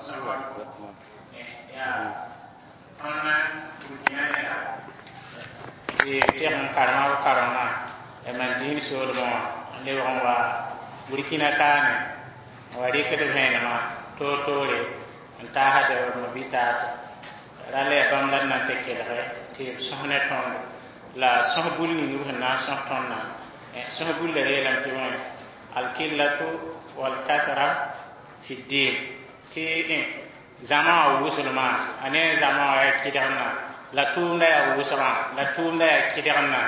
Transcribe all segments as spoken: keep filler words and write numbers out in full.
Tõnd burkina neda tɩ teg n karema b karengã mam dĩin soolmẽ wã n lebg n wa burkina kaane n wa rɩkd vẽenemã toor-toore n taasd b mabitaasã rall yaa bãmb la d na n tɩ kelge tɩ b sõs ne tõndo la sõs bul ning b sẽn na n sõs tõndã sõs bullã yeelame tɩ wẽ alkillatu walkathra fi ddin tɩ zãma wã wʋsglmã a ne zãma wã yaa kɩdgemdã la tʋʋmdã yaa wʋsgã la tʋʋmdã yaa kɩdgemdã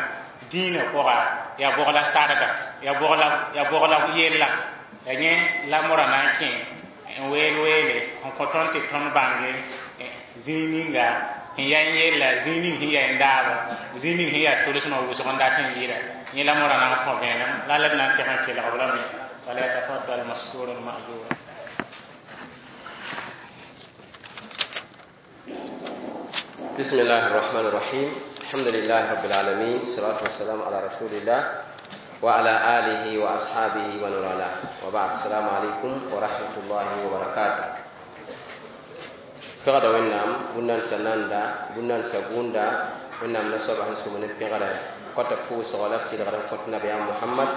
dĩinã pʋga yaa bʋg la sarga yaa bʋg la yaa bʋg la yella ya yẽ la mora na n kẽ n weel weele n kõ tõnd tɩ tõnd bãnge zĩig ninga sẽn yaa n yella zĩig ning sẽn yaa n daaba zĩig ning sẽn yaa tʋlsmã wʋsg n dat n yɩɩda yẽ la mora na n kõ vẽenem la la d na n tɩg n kelg b lame falyatafaddal mashkuran ma'jura. بسم الله الرحمن الرحيم الحمد لله رب العالمين الصلاة والسلام على رسول الله وعلى آله وأصحابه ومن والاه وبعد السلام عليكم ورحمة الله وبركاته pẽgda wẽnnaam bũn-nansã nanda bũn-nansã gũunda wẽnnaam la soaba sẽn sʋm ne pẽgrã kõta pʋʋsgɔ la b tɩlgd n kõt nabiyaam mohamad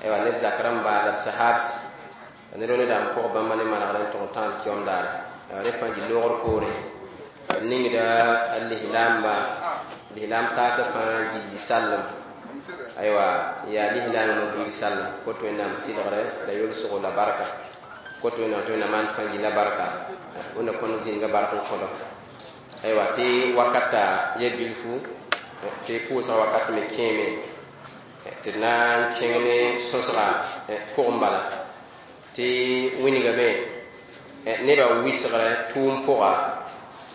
aywa neb zak rãmba la b sahabs ned wã nedam pʋg bãmba ne manegr n tʋg n tãad kiom daare aywa rẽ fãa gil loogr poore b ningda a lislaamba lislaam taasã fãa gilli sallem aywa yaa lislaam no gilli sallem kot wẽnnaam tɩlgre la yolsgo la barka kot wẽnnaam tɩ wẽnnaam maan fãa gilla barka wẽnna kõn zĩnga bark n kõdo aywa tɩ wakata ya bilfu tɩ pʋʋsgã wakat me kẽeme tɩ d na n kẽng ne sõsga pʋgẽ bala tɩ wingame nebã wɩsgrã tʋʋm pʋga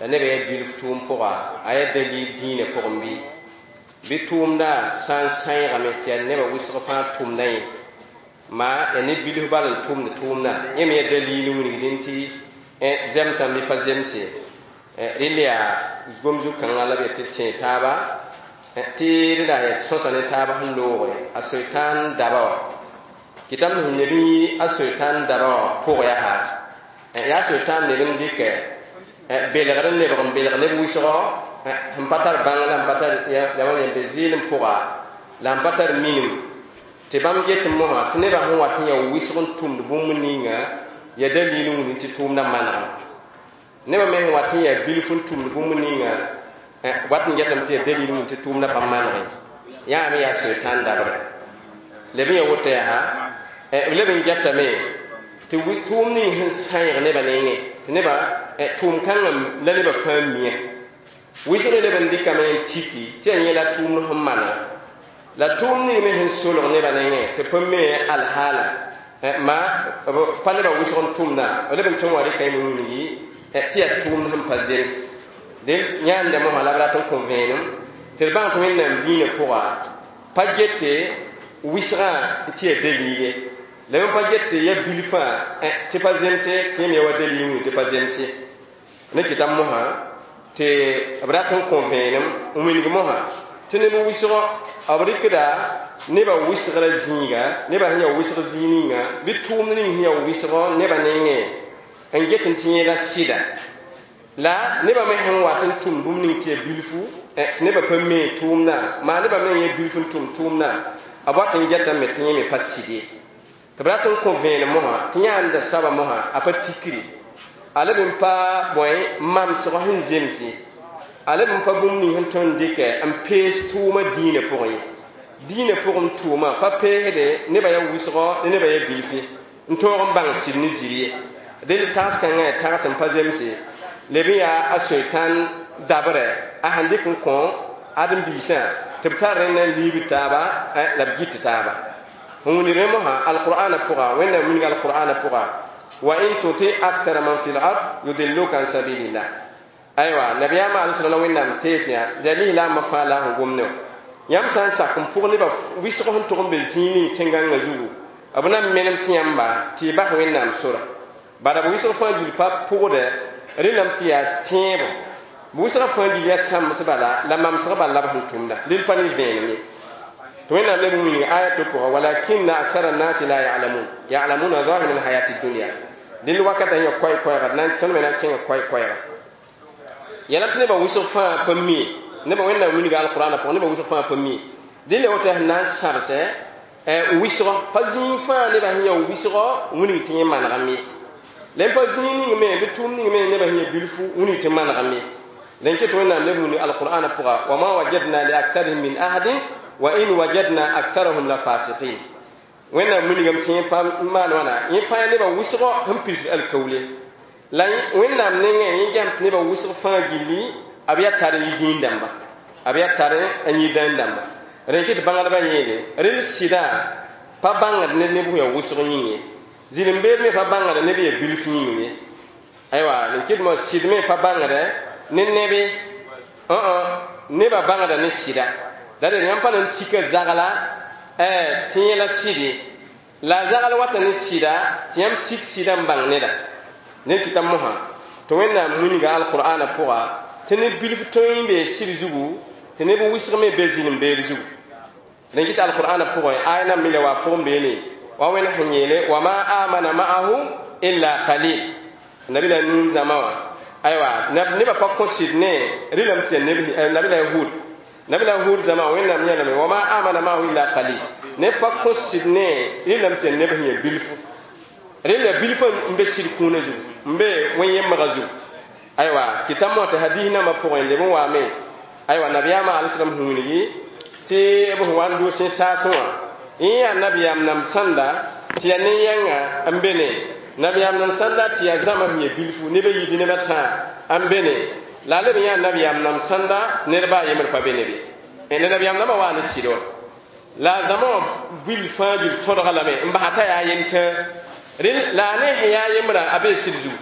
la nebã yaa bilf tʋʋm pʋga a yaa dalil dĩinã pʋgẽ bɩ bɩ tʋʋmda sã n sãeegame tɩ yaa nebã wɩsg fãa tʋmda yẽ maa yaa ne bilf bal n tʋmd tʋʋmda yẽ me yaa dalil n wilgdẽ tɩ zemsame bɩ pa zemse rɩl yaa gom zu-kãngã la b yaa tɩ d tẽeg taaba tɩ rẽda yaa sõsa ne taab sẽn looge a soetãn daba wã kɩtame sẽn leb n yi a soetãn daba wã pʋg yaa yaa soetãn leb n dɩkɛ belgr n lebg n belg neb wɩsgɔ sẽn pa tar bãng la n pa tar la wa yẽmbe zɩɩlem pʋga la n pa tar minim tɩ bãmb get mosã tɩ nebã sẽn wat n yaa wɩsg n tʋmd bũmb ninga yaa dalil n wilg tɩ tʋʋmdã manegame nebã me sẽn wat n yaa bilf n tʋmd bũmb ninga wat n getame tɩ yaa dalil n wilg tɩ tʋʋmdã pa manege yaa me yaa soetãn dabrã leb n yaa woto yaa b leb n getame tɩ tʋʋm ning sẽn sãeeg nebã nengẽ tɩ nebã tʋʋm kãngã la nebã fãa mia wɩsg leb n dɩkame n tiki tɩ yaa yẽ la tʋʋmd sẽn mana la tʋʋm ning me sẽn solg nebã nengẽ tɩ pa me alhaala ma pa nebã wɩsg n tʋmdã b leb n tõe n wa rɩka yẽ wilgi tɩ yaa tʋʋmd sẽn pa zems dẽ yãanda mosã la b rat n kõ vẽenem tɩ d bãng tɩ wẽnnaam dĩinã pʋga pa gete wɩsgã tɩ yaa dalil ye la b pa get tɩ ya bilfã tɩ pa zemse tɩ yẽ me ya wa dalil wĩig tɩ pa zemse ne kɩta mosã tɩ b rat n kõ vẽenem n wilg mosã tɩ neb wɩsgɔ b rɩkda nebã wɩsgrã zĩiga nebã sẽn yaa wɩsg zĩig ninga bɩ tʋʋmd ning sẽn yaa wɩsgɔ nebã nengẽ n get n tɩ yẽla sɩda la nebã me sẽn wat n tʋm bũmb ning tɩ yaa bilfu tɩ nebã pa mee tʋʋmdã maa nebã me yẽ bilf n tʋm tʋʋmdã b wat n getame tɩ yẽ me pa sɩd ye tɩ b rat n kõ vẽenem mosã tɩ yãanda soaba mosã a pa tikri a leb n pa bõe mamsgɔ sẽn zems ye a leb n pa bũmb ning sẽn tõe n dɩkɛ n pees tʋʋmã dĩinã pʋgẽ ye dĩinã pʋgẽ tʋʋmã pa peesde nebã yaa wɩsgɔ ne nebã yaa bilf ye n tõog n bãng sɩd ne zir ye dẽnd tags-kãngã yaa tags n pa zemse leb n yaa a soetãn dabrɛ a sẽn dɩk n kõ ãdem-biisã tɩ b tar rẽnd na n liibd taaba la b gɩt taaba n wilg rẽ mosã alqur'ana pʋga wẽnnaam wilga alqur'ana pʋga wa in tuti akthara man fi lard yudilluka an sabilillah aywa nabiyaamã alai la wẽnnaam tees yã yaa lislaambã fãa la sẽn gom ne wã yãmb sã n sak n pʋg nebã wɩsg sẽn tʋg n be zĩig ning tẽn-gãngã zugu b na n menem sẽ yãmba tɩ y bas wẽnnaam sora bala b wɩsg fãa gil pa pʋgdɛ rẽndame tɩ yaa tẽebo b wɩsgã fãa gil yaa sãmbs bala la mamsg bala la b sẽn tʋmda dẽnd pa ne vẽenem ye tɩ wẽnnaam leb n wilg aya to pʋga walakinna aksara nnasi la ya'lamun ya'lamuna zahira alhayati dunya Dẽnd wakatã yã koɛɛ-koɛɛga d na tõnd me na n kẽnga koɛɛ-koɛɛga. Yãla tɩ nebã wʋsg fãa pa mie nebã Wẽnnaam wilga alqurana pʋgẽ nebã wʋsg fãa pa mie. Dẽn le woto sẽn na n sãbsɛ wɩsgɔ pa zĩig fãa nebã sẽn ya wɩsgɔ wilg tɩ yẽ manegame. La pa zĩig ning me bɩ tʋʋm ning me nebã sẽn ya bilfu wilg tɩ manegame. La ket Wẽnnaam leb wilg alqurana pʋga wa ma wajadna li aktharihim min ahadin wa in wajadna aktharahum la fasiqin. Wẽnnaam wilgame tɩ yẽ pa maan wãna yẽ pa nebã wʋsgɔ sẽn pirsd alkaoole. La Wẽnnaam nengẽ yẽ gãmb tɩ nebã wʋsg fãa gilli b yaa tar n yi dĩin dãmba, b yaa tar n yi dãn dãmba. Rẽ kɩ tɩ bãngdbã yeele rel sɩda pa bãngd ne neb ya wʋsg yĩng ye, zĩlim-beed me pa bãngd neb ya bilf yĩng ye. Aywa n kɩt mo sɩd me pa bãngd ne nebe nebã bãngda ne sɩda. La d yãmb pa na n tika zagla tɩ yẽla sɩde la a zagl wata ne sɩda tɩ yãmb tik sɩda n bãng neda. Ned kɩta mosã tɩ Wẽnnaam wilga alqur'ana pʋga tɩ neb bilf tõe n bee sɩd zugu tɩ neb wʋsg me be zĩlim-beed zugu. Rẽn kɩ tɩ alqur'ana pʋgẽ aya nan mila waa pʋgẽ beene wa Wẽnd sẽn yeele wa ma amana ma'ahu illa qalil. Nabila Nuun zãma wã aywa nebã pa kõ sɩd ne rɩlame tɩ ya nabila Hud, nabila Hud zãma Wẽnnaam yãlame wa ma amana ma'ahu illa qalil. Neb pa kõ sɩd ne rɩlame tɩ ya neb sẽn ya bilfu. Rẽnd bilf n be sɩd kũunã zugu n be wẽn-yembgã zugu. Aywa kɩta mo tɩ hadis nambã pʋgẽ leb n waame aywa nabiyaamã alislam sẽn wilgi tɩ b sẽn wa n doos yẽ saasẽ wã yẽ yaa nabiyaam nam sãnda tɩ yaa ne-yãnga n be ne nabiyaam nam sãnda tɩ yaa zãma sẽn ya bilfu neb a yiib neb a tãa n be ne la a leb n yaa nabiyaam nam sãnda ned baa yembr pa be ne be la nabiyaam nambã waa ne sɩd wã la a zãma wã bil fãa gil tõdga lame n basa t'a yaa yentã rẽ la a ne sẽn yaa yembrã a bee sɩd zugu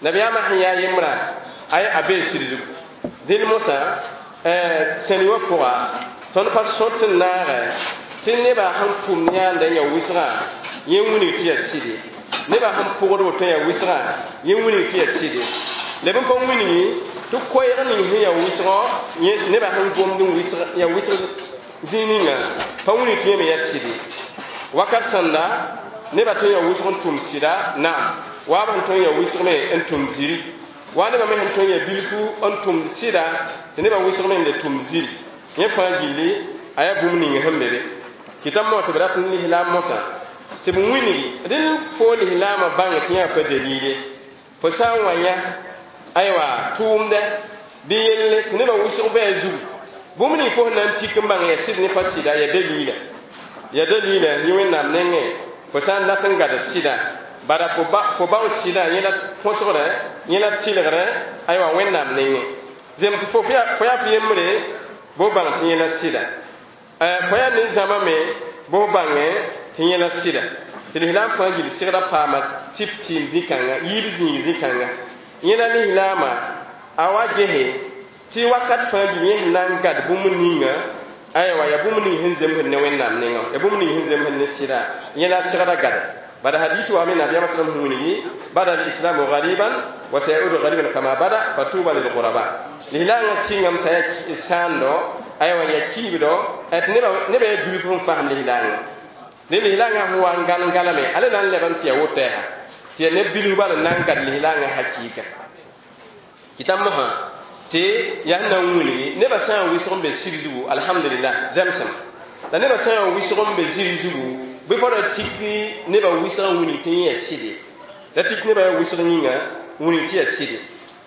nabiyaamã sẽn yaa yembrã ay a bee sɩd zugu. Dẽnd mosã sẽni wã pʋga tõnd pa sõt n naagɛ tɩ nebã sẽn pʋm yãanda n ya wʋsgã yẽ wilg tɩ yaa sɩde, nebã sẽn pʋgd woto yaa wʋsgã yẽ wilg tɩ yaa sɩde. La b pa wilgi tɩ koɛɛg ning sẽn ya wʋsgɔ nebã sẽn gomd n ya wʋsg zĩig ninga pa wilg tɩ yẽ me yaa sɩde. Wakat sãnda nebã tõe n ya wʋsg n tʋm sɩda naam waa b sẽn tõe n ya wʋsg me n tʋm ziri waa nebã me sẽn tõe n ya bilfu n tʋmd sɩda tɩ nebã wʋsg me n le tʋm ziri yẽ fãa gilli a yaa bũmb ning sẽn be be. Kɩta mo tɩ b rat n lislaam mosã tɩ b wilgi rẽnd foo lislaamã bãng tɩ yã pa dalile fo sã n wa yã aywa tʋʋmdɛ bɩ yelle tɩ nebã wʋsg bɩ a zugu bũmb ning fo sẽn na n tik n bãng yaa sɩd ne pa sɩda yaa dalila yaa dalila yẽ Wẽnnaam nengẽ fo sã n dat n gad sɩda bara fo bao sɩda yẽ la põsgrɛ yẽ la tɩlgrɛ aywa Wẽnnaam nengẽ zem tɩ fo yaa f yembre bo bãng tɩ yẽ la sɩda fo yaa nin-zãma me bo bãngẽ tɩ yẽ la sɩda tɩ lislaam fãa gil sɩgda paama tɩp tɩɩm zĩ-kãnga yiib zĩig zĩ-kãnga yẽ la lislaamã a wa gese tɩ wakat fãa gil yẽ sẽn na n gad bũmb ninga aywa yaa bũmb ning sẽn zemsd ne Wẽnnaam nengã yaa bũmb ning sẽn zemsd ne sɩda yẽ la sɩgda gada. Bada hadis wa me nabiyaamã sallam sẽn wilgi bada alislamu gariban wa sayaudu gariban kama bada fatuba lilguraba. Lislaangã sɩngame t'a yaa sãando aywa yaa kiibdo tɩ nebã yaa bilf n fasem lislaangã dẽ lislaangã sẽn wa n gãn galame ala na n leb n tɩ yaa woto yaa tɩ yaa neb bilf bala n na n gad lislaangã hakɩɩka. Kɩta mosã tɩ yaa sẽn na n wilgi nebã sã n wɩsg n be sɩd zugu alhamdulillah zɛmsem la nebã sã n wɩsg n be ziri zugu bɩ fo ra tik nebã wɩsg n wilg tɩ yẽ yaa sɩde la tik nebã yaa wɩsg yĩnga wilg tɩ yaa sɩde.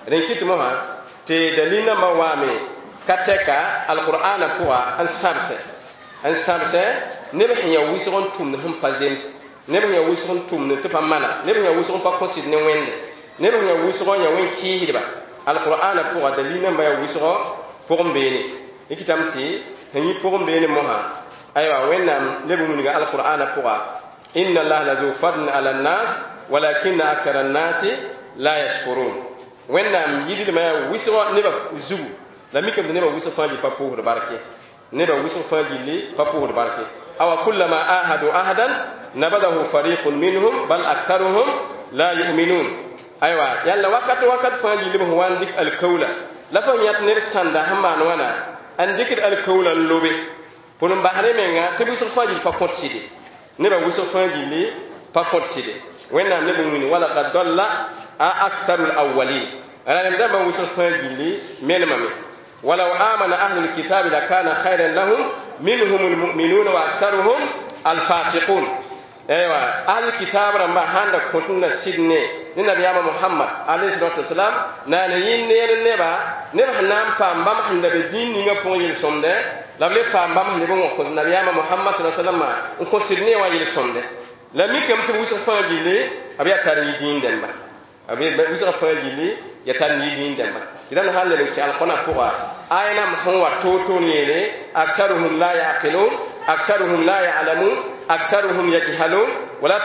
Rẽn kɩt mosã tɩ dalil nambã waame ka tɛka alqur'ana pʋga n sãbsɛ n sãbsɛ neb sẽn yaa wʋsg n tʋmd sẽn pa zems neb sẽn yaa wʋsg n tʋmd tɩ pa mana neb sẽn yaa wʋsg n pa kõ sɩd ne Wẽnde neb sẽn yaa wʋsg n yaa wẽn-kɩɩsdba alqur'ana pʋga dalil nambã yaa wʋsgɔ pʋgẽ beene yẽ kɩtame tɩ sẽn yɩ pʋgẽ beene mosã aywa Wẽnnaam leb n wilga alqur'ana pʋga inna allaha la zu fadlin ala nnas walakinna akthara annasi la yashkurun. Wẽnnaam yidlmã yaa wʋsgɔ nebã zugu la mikame tɩ nebã wʋsg fãa gil pa pʋʋsd barke nebã wʋsg fãa gilli pa pʋʋsd barke awa kullama ahadu ahadan nabadahu fariqun minhum bal aktharuhum la yu'minun. Aywa yãlla wakat wakat fãa gilli b sẽn wa n dɩk alkaola la fo yãt ned sãnda sẽn maan wãna n dɩkd alkaola n lobe pʋl n basd menga tɩ wʋsg fãa gil pa kõt sɩde nebã wʋsg fãa gilli pa kõt sɩde. Wẽnnaam neb n wini walakad dalla a aktharu lawalin rãmb dãmbã wʋsg fãa gilli menemame ولو آمن أهل الكتاب لكان خيرا لهم منهم المؤمنون وأكثرهم الفاسقون أيوة أهل الكتاب رمبا هاندا كنتنا سيدني نبي محمد عليه الصلاة والسلام نانا yin neer neba neb sẽn na n paam bãmb sẽn da be dĩin ninga pʋgẽ yel-sõmdɛ la b le paam bãmb sẽn leb n wã kõ nabiyaamã Mohamad sala salama n kõ sɩd ne wã yel-sõmdɛ la mikame tɩ b wʋsg fãa gilli b yaa tar yi dĩin dẽmba b wʋsg fãa gilli yaa tar yi dĩin dẽmba tɩ rãmb sãn leb n kẽ alkõna pʋga aya nam sẽn wa toor-toor yeele aksaruhum la yaqilun aksaruhum la ya'lamun aksaruhum yajhalun wala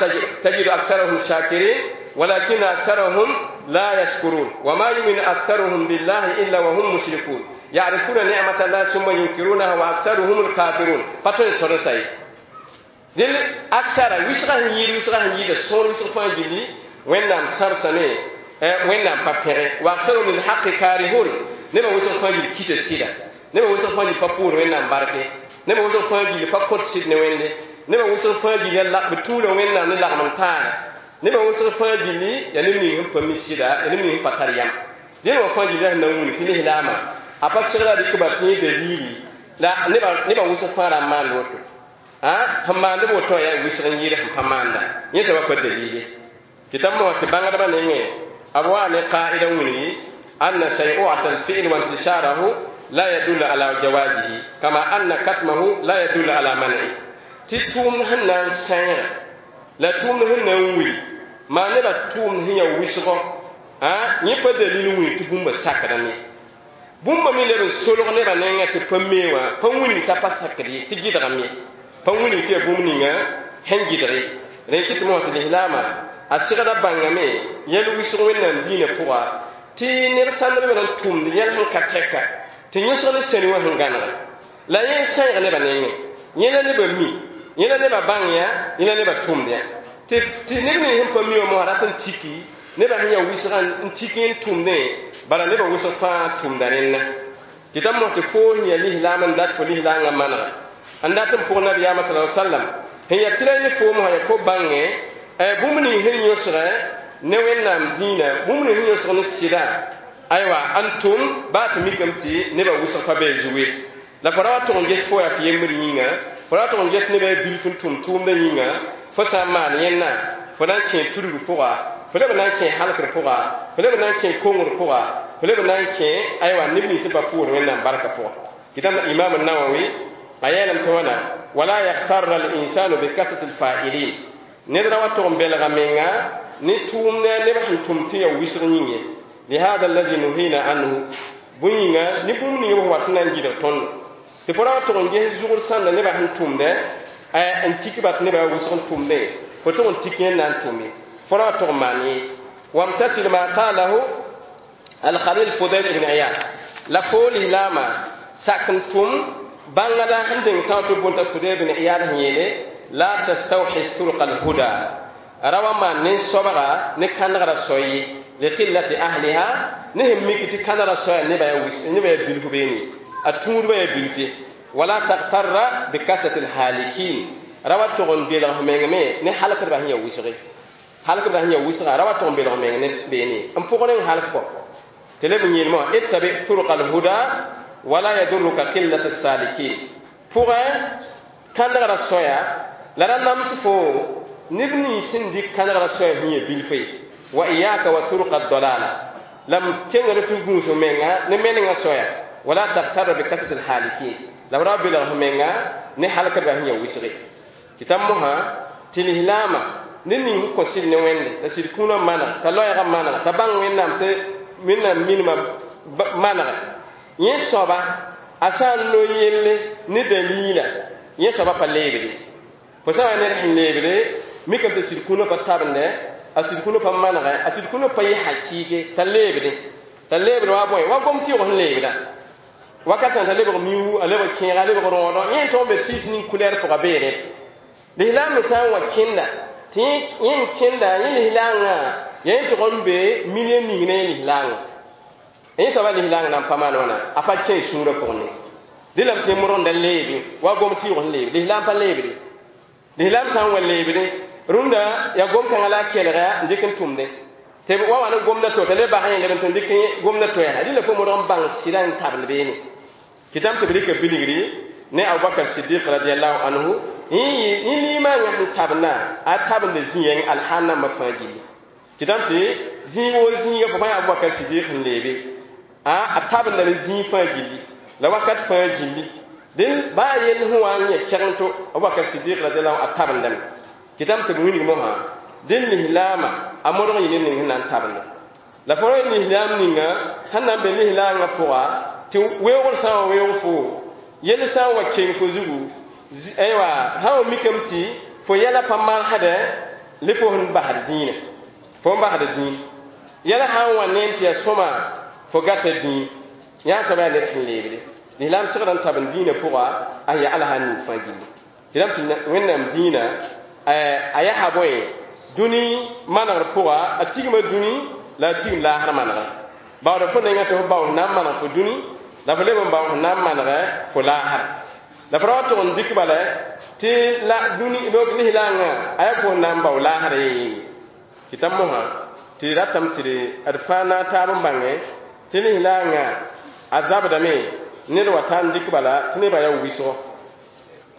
tajidu aksarahum shakirin ولكن أكثرهم لا يشكرون وما يؤمن أكثرهم بالله إلا وهم مشركون يعرفون نعمة الله ثم ينكرونها وأكثرهم الكافرون فتون سرسي دل أكثر وسغه يير وسغه يير سور وسغ فان جلي وين سرسني وين بابير وأكثرهم للحق كارهون نبا وسغ فان جلي كيت سيدا نبا وسغ فان جلي فابور وين باركه نبا وسغ فان جلي فاكوت سيد نوين نبا وسغ فان جلي لا بتولا وين لا من تار nebã wʋsg fãa gilli yaa neb ning sẽn pa mi sɩda yaa neb ning sẽn pa tar yam dẽn wã fãa gilli sẽn na n wilg tɩ lislaamã a pa segra rɩk ba tɩ yẽ dalili la nebã wʋsg fãa ra n maand woto sẽn maand b woto yaa wʋsg n yɩɩd sẽn pa maanda yẽ soaba pa dalili tɩ t'a mosã tɩ bãngdbã nengẽ b waa ne qaida n wilgi anna shay'u'ata al-fi'l wa intisharahu la yadullu ala jawazihi kama anna katmahu la yadullu ala man'i tɩ tʋʋmd sẽn na n sãeera la tʋʋmd sẽn na n wil maa nebã tʋʋmd sẽn yaa wʋsgɔ yẽ pa dalil wĩig tɩ bũmba sakdame bũmba me leb n solg nebã nengã tɩ pa mee wã pa wilg t'a pa sakd ye tɩ gɩdgame pa wilg tɩ yaa bũmb ninga sẽn gɩdg ye rẽ kɩ tɩ mosã tɩ lislaamã a segda bãngame yɛl wʋsg wẽnnaam diinã pʋga tɩ neb sãndb me n tʋmd yɛl sẽn ka tɛka tɩ yõsg ne sẽni wã sẽn gãnega la yẽ n sãeeg nebã nengẽ yẽ la nebã mi yẽ la nebã bãng yã yẽ la nebã tʋmd yã tɩ neb nins sẽn pa mi wã mosã rat n tiki nebã sẽn yaa wʋsgã n tik n tʋmdẽ bala nebã wʋsg fãa tʋmda rẽnna tɩ t'a mos tɩ foo sẽn yaa lislaam n dat fo lislaangã manega n dat n pʋg nabiyaamã sala sallam sẽn yaa tɩ ra ne foo mosã yaa fo bãngẽ bũmb ning sẽn yõsgẽ ne wẽnnaam dĩinã bũmb ning sẽn yõsg ne sɩda aywa n tʋm baa tɩ mikame tɩ nebã wʋsg pa bee zugu ye la fo ra wa tʋg n ges fo yaa f yembr yĩnga fo ra wa tʋg n ges nebã yaa bilf n tʋm tʋʋmdã yĩnga fo sã n maan yẽnna fo na n kẽ tudgr pʋga fo leb n na n kẽ halkr pʋga fo leb n na n kẽ kongr pʋga fo leb n na n kẽ aywa neb nins sẽn pa pʋʋsd wẽnnaam barka pʋga tɩ imam nawawi a yeelame tɩ wãna wala yaghtarra al-insanu bi kasrati al-fa'ilin ned ra wa tʋg n belga menga ne tʋʋmdã neb sẽn tʋm tɩ ya wɩsg yĩng ye lihada alladhi nuhina anhu bũn yĩnga ne bũmb ning b wat n na n gɩdg tõndo tɩ fo ra wa tʋg n ges zugr sãnda nebã sẽn tʋmdẽ n tik ba tɩ nebã yaa wʋsg n tʋmdẽ fo tʋg n tik yẽnd na n tʋm ye fo ra wa tʋg n maan ye wamtasil ma qalahu alkhalil fudayl ibn iyad la fo lislaamã sak n tʋm bãngda sẽn deng tão tɩ bõn t'a fudayl ibn iyad sẽn yeele la tastawhis turqa alhuda ra wa maan nen-soabga ne kãnegrã soy ye liqillati ahliha ne sẽn mik tɩ kãnegrã soaya nebã yaa bilf beene a tũudbã yaa bilf ye wala tagtarra bikasrati alhalikin ra wa tʋg n belg f meng me ne halkdbã sẽn yaa wʋsge halkdbã sẽn yaa wʋsga ra wa tʋg n belg meng ne beene n pʋgr n halk kɔ tɩ leb n yeelmã ittabi turqa alhuda wala yadurruka qillat alsalikin pʋgẽ kãnegrã soaya la ra nams fo neb nins sẽn dɩk kãnegrã soaya sẽn yaa bilf ye wa iyaka wa turqa aldalala la m kengr tɩ gũus menga ne menengã soaya wala tagtarra bikasrati alhalikin la f ra belg f menga ne halkdbã sẽn yaa wʋsge tɩ t'a mosã tɩ lislaamã ned ning sẽn kõ sɩd ne wẽnde t'a sɩd kũunã maneg t'a loɛɛgã maneg t'a bãng wẽnnaam tɩ wẽnnaam minimã manege yẽ soaba a sã n no yelle ne daliila yẽ soaba pa leebde fo sã n wa ned sẽn leebde mikame tɩ sɩd kũunã pa tabende a sɩd kũunã pa manegɛ a sɩd kũunã pa yɩ hakɩɩke t'a leebde t'a leebd wa bõe wa gom tɩʋg sẽn leebda wakat sã t'a lebg miu a lebg kẽega a lebg rõodɔ yẽ n tõg n be tiis ning kulɛɛr pʋga beere lislaam me sã n wa kẽnda tɩ yẽ n kẽnda yẽ lislaangã yaa yẽ tʋg n be million ning ne yẽ lislaangã yẽ soaba lislaang na n pa maan wãna a pa kẽ sũurã pʋgẽ ne dẽ la b tɩ modgenda leebe wa gom tɩʋg sẽn leebe lislaam pa leebde lislaam sã n wa leebde Rũndã yaa gom-kãngã la a kelga n dɩk n tʋmdẽ tɩ b wa wa ne gomdã to t'a le bas yẽ leb n tɩ dɩk gomdã to yaa rɩla fo modg n bãng sɩdã n tabend beene kɩtame tɩ b rɩka bilgri ne Abubakar Sidiq radiallahu anhu yẽ limaangã sẽn tabendã a tabenda zĩ-yɛng alhaal nambã fãa gilli kɩtame tɩ zĩig woo zĩiga fo pa yã Abubakar Sidiq sẽn leebe a tabendame zĩig fãa gilli la wakat fãa gilli dẽn baa yell sẽn wa n yẽ kɛgeng to Abubakar Sidiq radiallahu a tabendame kɩtame tɩ b wilg mosã dẽn lislaamã a modg n yɩ ned ning sẽn na n tabende la fo ra lislaam ninga sẽn na n be lislaangã pʋga tɩ weoogr sã n wa weoog fo yell sã n wa keng fo zugu aywa sã n wa mikame tɩ fo yɛla pa marsdɛ le fo sẽn basd dĩinã fo n basd dĩin yɛla sã n wa neem tɩ yaa sõma fo gata dĩin yã soaba yaa ned sẽn leebde lislaam segd n tabend dĩinã pʋga a yaa alsa ning fãa gilli tɩ tɩ wẽnnaam dĩinã a yaa bõe dũni manegr pʋga a tigma dũni la a tigm laasr manegre baood fo nengã tɩ fo bao sẽn na n maneg fo dũni la fo leb n bao sẽn na n manegɛ fo laasr la fo ra wa tʋg n dɩk bala tɩ la dũni lislaangã a yaa fo sẽn na n bao laasr ye tɩ t'a mosã tɩ ratame tɩ d fãa na taab n bãngẽ tɩ lislaangã a zabdame ned wa ta n dɩk bala tɩ nebã yaa wɩsgo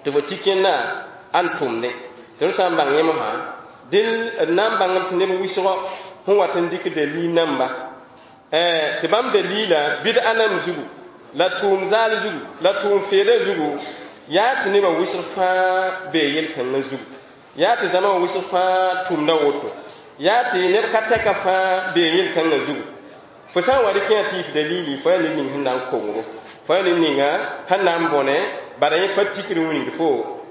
tɩ fo tɩ kẽnda a n tʋmdẽ tɩ d sã n bãng yẽ mosã dẽn d na n bãngem tɩ neb wɩsgo sẽn wat n dɩk dalil namba tɩ bãmb dalila bɩd-a nam zugu la tʋʋm zaal zugu la tʋʋm feeda zugu yaa tɩ nebã wɩsg fãa bee yel-kãngã zugu yaa tɩ zãma wã wɩsg fãa tʋmda woto yaa tɩ neb ka tɛka fãa bee yel-kãngã zugu fo sã n wa rɩk yã tɩ yɩ dalili fo yaa ned ning sẽn na n kongro fo yaa ned ninga sẽn na n bõne bala yẽ pa tikr wilgd fo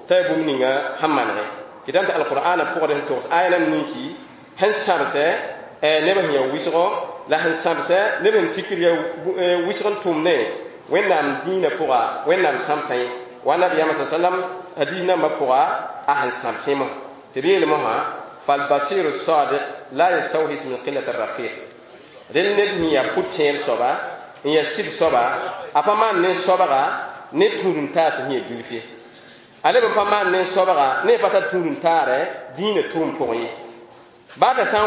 t'a yaa bũmb ninga sẽn manegẽ kɩtame tɩ alqur'ana pʋgd sẽn togs aya nam ninsi sẽn sãbsɛ neb sẽn yaa wɩsgo la sẽn sãbsɛ neb sẽn tikr yaa wɩsg n tʋmdẽ wẽnnaam dĩinã pʋga wẽnnaam sãmsã ye wa nabiyaamã sa sallam hadis nambã pʋga a sẽn sãbsẽ mosã tɩ b yeel mosã falbasiru sadiq la yastawhis min qillat rafiq rel ned sẽn yaa pʋ-tẽer soaba n yaa sɩd soaba a pa maan ne soabga ne tũud-n-taas sẽn yaa bilf ye a leb n pa maan ne soabga ne pa tar tũud-n-taarɛ dĩinã tʋʋm pʋgẽ ye baa t'a sã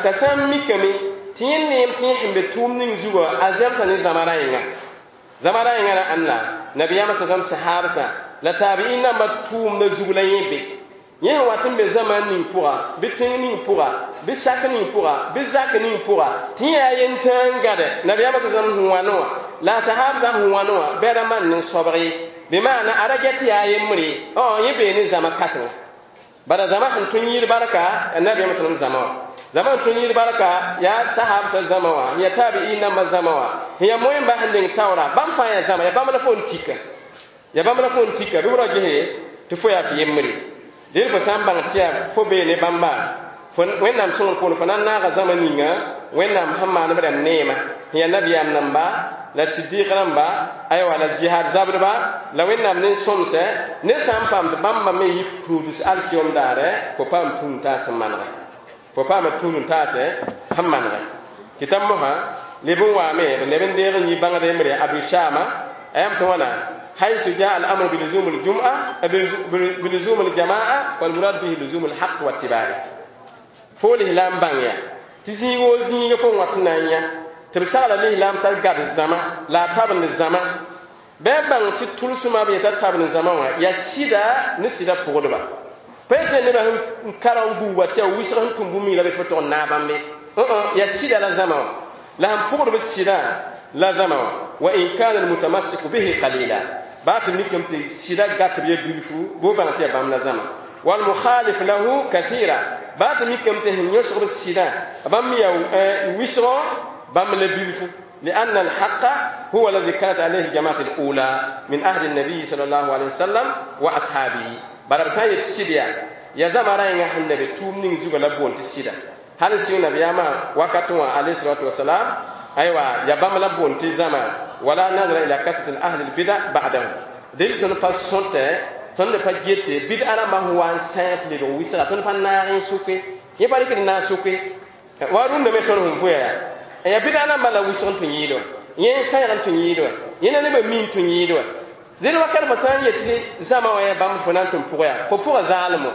t'a sã n mikame tɩ yẽ neem tɩ yẽ sẽn be tʋʋm ning zugã a zɛbsa ne zãma ra-yẽnga zãma ra-yẽngã ra ãnna nabiyaamã sa sãm sahaabsã la taabi'in nambã tʋʋmdã zug la yẽ be yẽ sẽn wat n be zamaan ning pʋga bɩ tẽng ning pʋga bɩ sak ning pʋga bɩ zak ning pʋga tɩ yẽ yaa yentãag n gade nabiyaamã sa sãm sẽn wãne wã la a sahaabsã sẽn wãne wã bɩ ra maan ne sobg ye bɩ maana a ra get yaa yembre yẽ bee ne zãma kãsenga bala zãma sẽn tõe n yɩɩd barka nabiyaamã sallam zãma wã zãma sẽn tõe n yɩɩd barka yaa sahaabsã zãma wã yaa taabi'in nambã zãma wã sẽn yaa moẽmba sẽn deng taoora bãmb fãa yaa zãma yaa bãmb la fo n tika yaa bãmb la fo n tika bɩ b ra gese tɩ fo yaa f yembre dẽn fo sã n bãng tɩ yaa fo bee ne bãmba fo wẽnnaam sõngr poorẽ fo na n naaga zãma ninga wẽnnaam sẽn maan b rãmb neema sẽn yaa nabiyaam namba la sidɩq rãmba aywa la jihad zabdba la wẽnnaam ne sõmsɛ ned sã n paam tɩ bãmba me yɩ tuuds alkiyom daare fo paam tũud-n-taas sẽn manegɛ fo paama tũud-n-taasɛ sẽn manegɛ tɩ t'a mosã leb n waame b leb n deeg n yɩ bãngd yembre Abu Shama a yam tɩ wãna حيث جاء الأمر بلزوم الجمعة بلزوم الجماعة والمراد به لزوم الحق واتباعه fo lislaam bãng yaa tɩ zĩig woo zĩiga fo n wat n na n yã tɩ b sagla lislaam t'a gad zãma la a tabend zãma bɩ a bãng tɩ tʋlsmã b yeta tabend zãma wã yaa sɩda ne sɩda pʋgdba pa yetɩ nebã sẽn kara n gũuba tɩ yaa wɩsg sẽn tʋm bũmb la bɩ fo tʋg n naag bãmbe yaa sɩda la zãma wã la sẽn pʋgdb sɩdã la zãma wã wa in kana almutamassiku bihi qalila baa tɩ mikame tɩ sɩda gat b ya bilfu bɩ bãng tɩ yaa bãmb la zãma والمخالف له كثيرا baa tɩ mikame tɩ sẽn yõsg b sɩdã bãmb yaa wɩsgõ bãmb la bilfu لأن الحق هو الذي كانت عليه الجماعة الأولى من أهل النبي صلى الله عليه وسلم وأصحابه bara b sã n yet sɩd yaa ya zãma rãengã sẽn la be tʋʋm ning zugã la boond tɩ sɩda hal sɩng nabiyaamã wakat wã alayhi salatu wasalam aywa ya bãmb la boond tɩ zãma wala nazara ila kasrat ahli lbida ba'dahu del tõnd pa sõtɛ tõnd pa gete bid'a rãmbã sẽn wa n sãa tɩ lebg wɩsga tõnd pa naag n sʋke yẽ pa rɩkd naag sʋke wa rũndã me tõnd sẽn vʋya yaa ya bid'a rãmbã la wɩsg n tũ yɩɩd wã yẽ n sãyg n tũ yɩɩd wã yẽ na nebã mi n tũ yɩɩd wã dẽn wakat fo sã n yet tɩ zãma wã yaa bãmb fo na n tʋm pʋga yaa fo pʋga zaalem wã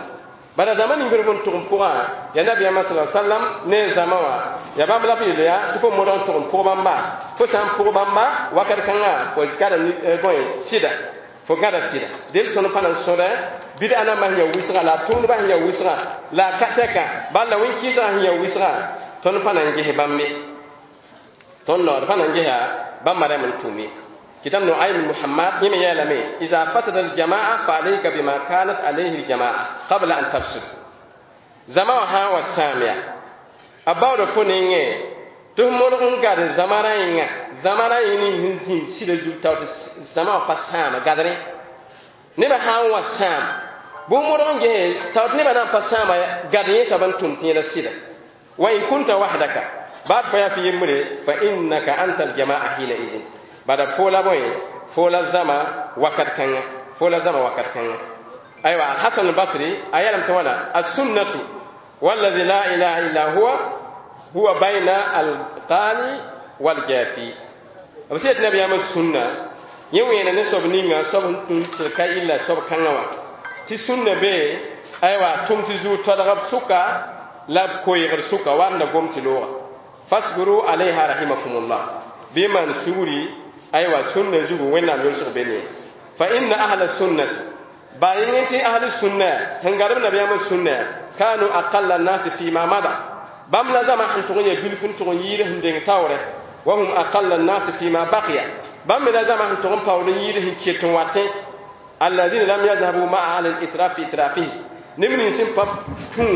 Bala zãma ning b n tʋg n pʋgã yaa nabiyaamã sa sallam ne zãma wã yaa bãmb la f yeel yaa tɩ fo modg n tʋg n pʋg bãmba fo sã n pʋg bãmba wakat kãngã fo gãda bõe sɩda fo gãda sɩda del tõnd pa na n sõdɛ bɩd-a nambã sẽn ya wɩsgã la a tʋʋmdbã sẽn ya wɩsgã la a ka tɛka bal la wẽn-kɩɩsgã sẽn ya wɩsgã tõnd pa na n ges bãmb ye tõnd nood pa na n gesa bãmba rãmb n tʋm ye كتاب نعيم محمد يمي يعلمي إذا فسد الجماعة فعليك بما كانت عليه الجماعة قبل أن تفسد زمان والسامية أباو فنيني تهمرون قاد زمانين زمانين هنزين سيد زوتاوت زمان فسام قادرين نبا ها والسام بومرون جه تاوت نبا نام فسام قادرين سبن تمتين السيدة وإن كنت وحدك بعد فيا في يمري فإنك أنت الجماعة حينئذ bada fola bõe fola zãma wakat kãngã fola zãma wakat kãngã aywa alhasan albasri a yɛlem tɩ wãna assunnatu wallazi la ilaha illa huwa huwa bayna alqali waljafi b sẽn yet nabiyaamã sũnna yẽ wẽena ne soab ninga soab sẽn tũn tɩ ka illa soab kãngã wã tɩ sũnna bee aywa tʋm tɩ zuu tɔdg b sʋka la b koeegd sʋka wa n da gom tɩ looga fasbiru alayha rahimakumullah bɩ maan sugri aywa sunna zugu wẽnnaam yolsg be ne fa inna ahla sunnati baa yẽ tɩ ahli sunna sẽn garb nabiyaamã sunna kanu aqalla nnasi fima mada bãmb la zãma sẽn tʋg n ya bilf n tʋg n yiid sẽn deng taoorɛ wa hum aqalla nnasi fima baqiya bãmb me la zãma sẽn tʋg n paood n yiid sẽn ket n watẽ alladina lam yazhabu maa ahli litraf fi itrafihi neb nins sẽn pa tũ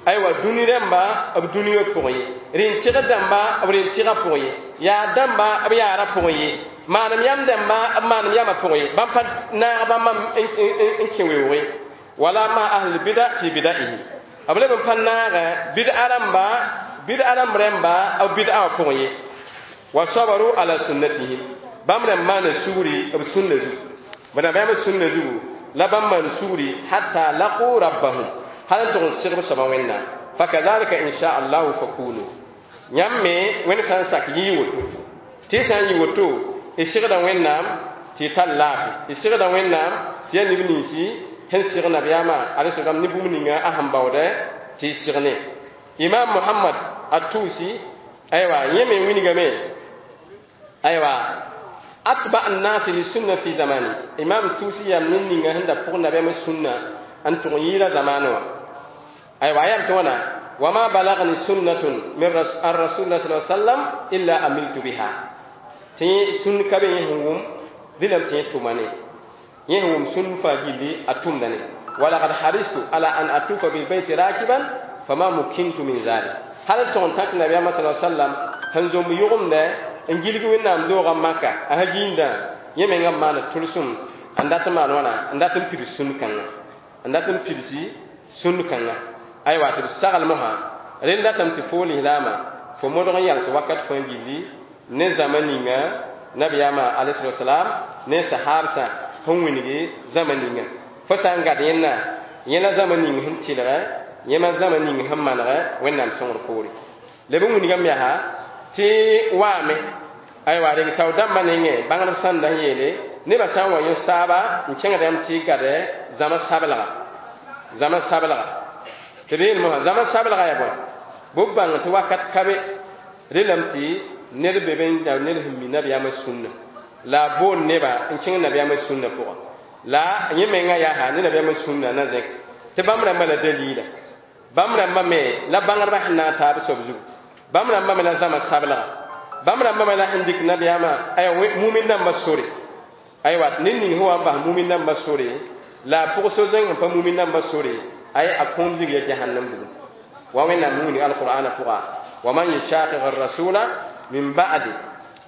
aywa dũni rãmba b dũniyã pʋgẽ ye rẽn-tɩgd dãmba b rẽn-tɩgã pʋgẽ ye yaa dãmba b yaarã pʋgẽ ye maanem yam dãmba b maanem yamã pʋgẽ ye bãmb pa naag bãmba n kẽ weoog ye wala ma ahl bida fi bidaihi b leb n pa naagã bid'a rãmba bid'a rãmb rãmba b bid'a wã pʋgẽ ye wa sabaru ala sunnatihim bãmb rãmb maana sugri b sũnna zugu b nabiyaamã sũnna zugu la bãmb maan sugri hatta laqu rabbahum hal n tʋg n segb soaba wẽnnaam fakadhalika insha allahu fakunu yãmb me wẽnd sã n sak yɩ woto tɩ y sã n yɩ woto y segda wẽnnaam tɩ y tar laafɩ y segda wẽnnaam tɩ yaa neb ninsi sẽn seg nabiyaamã alesalam ne bũmb ninga a sẽn baoodɛ tɩ y segne imam mohamad atusi aywa yẽ me wingame aywa atba annasi lisunna fi zamani imam tusi yam ned ninga sẽn da pʋg nabiyaamã sũnna n tʋg n yɩɩda zamaanẽ wã aywa yam tɩ wãna wama balagni sunnatun min an rasulillah sa sallam illa amiltu biha tɩ sũn ka be yẽ sẽn wʋm dɩlame tɩ yẽ tʋma ne yẽ sẽn wʋm sũn fãa gilli a tʋmda ne walakad haristu ala an atufa bilbeyti rakiban fama mukintu min zalik hal tʋg n tãk nabiyaamã sa sallam sẽn zomb yʋgemdɛ n gilg wẽnnaam doogã maka a sã giindã yẽ mengã maana tʋlsem n dat n maan wãna n dat n pids sũn kãngã n dat n pidsi sũn kãngã aywa tɩ b sagl mosã rẽnd datame tɩ fo lislaamã fo modg n yals wakat fãa gilli ne zãma ninga nabiyaamã alayhi ne sahabsã sẽn wĩngi zãma ninga fo sã n gad yẽnna yẽ la zãma ning sẽn tɩlgɛ yẽma zãma ning sẽn manegɛ wẽnnaam sõngr poore leb n wingame yaa tɩ waame aywa reng tao dãmbã nengẽ bãngd sãnda sẽn yeele nebã sã n wa yõ saaba n kẽngd yãmb tɩ y gade zãma sabelga zãma sabelga tɩ b yeel mosã zãma sabelga yaa bõe bʋ bãng tɩ wakat ka be relame tɩ ned be be n da ned sẽn mi nabiyaamã sũnna la a boond neba n kẽng nabiyaamã sũnna pʋgã la yẽ menga yaa ne nabiyaamã sũnna na zẽk tɩ bãmb rãmbã la dalila bãmb rãmbã me la bãngdbã sẽn naag taab soab zugu bãmb rãmbã me la zãma sabelga bãmb rãmbã me la sẽn dɩk nabiyaamã aya mumin dãmbã sore aywa ned ning sẽn wa n bas mumin dãmbã sore la a pʋg so zẽng sẽn pa mumin dãmbã sore ay a kõom zig ya jahannam bugum wa wẽnnaam wĩnig alqur'ana pʋga wa man yushaqiq arrasula min ba'di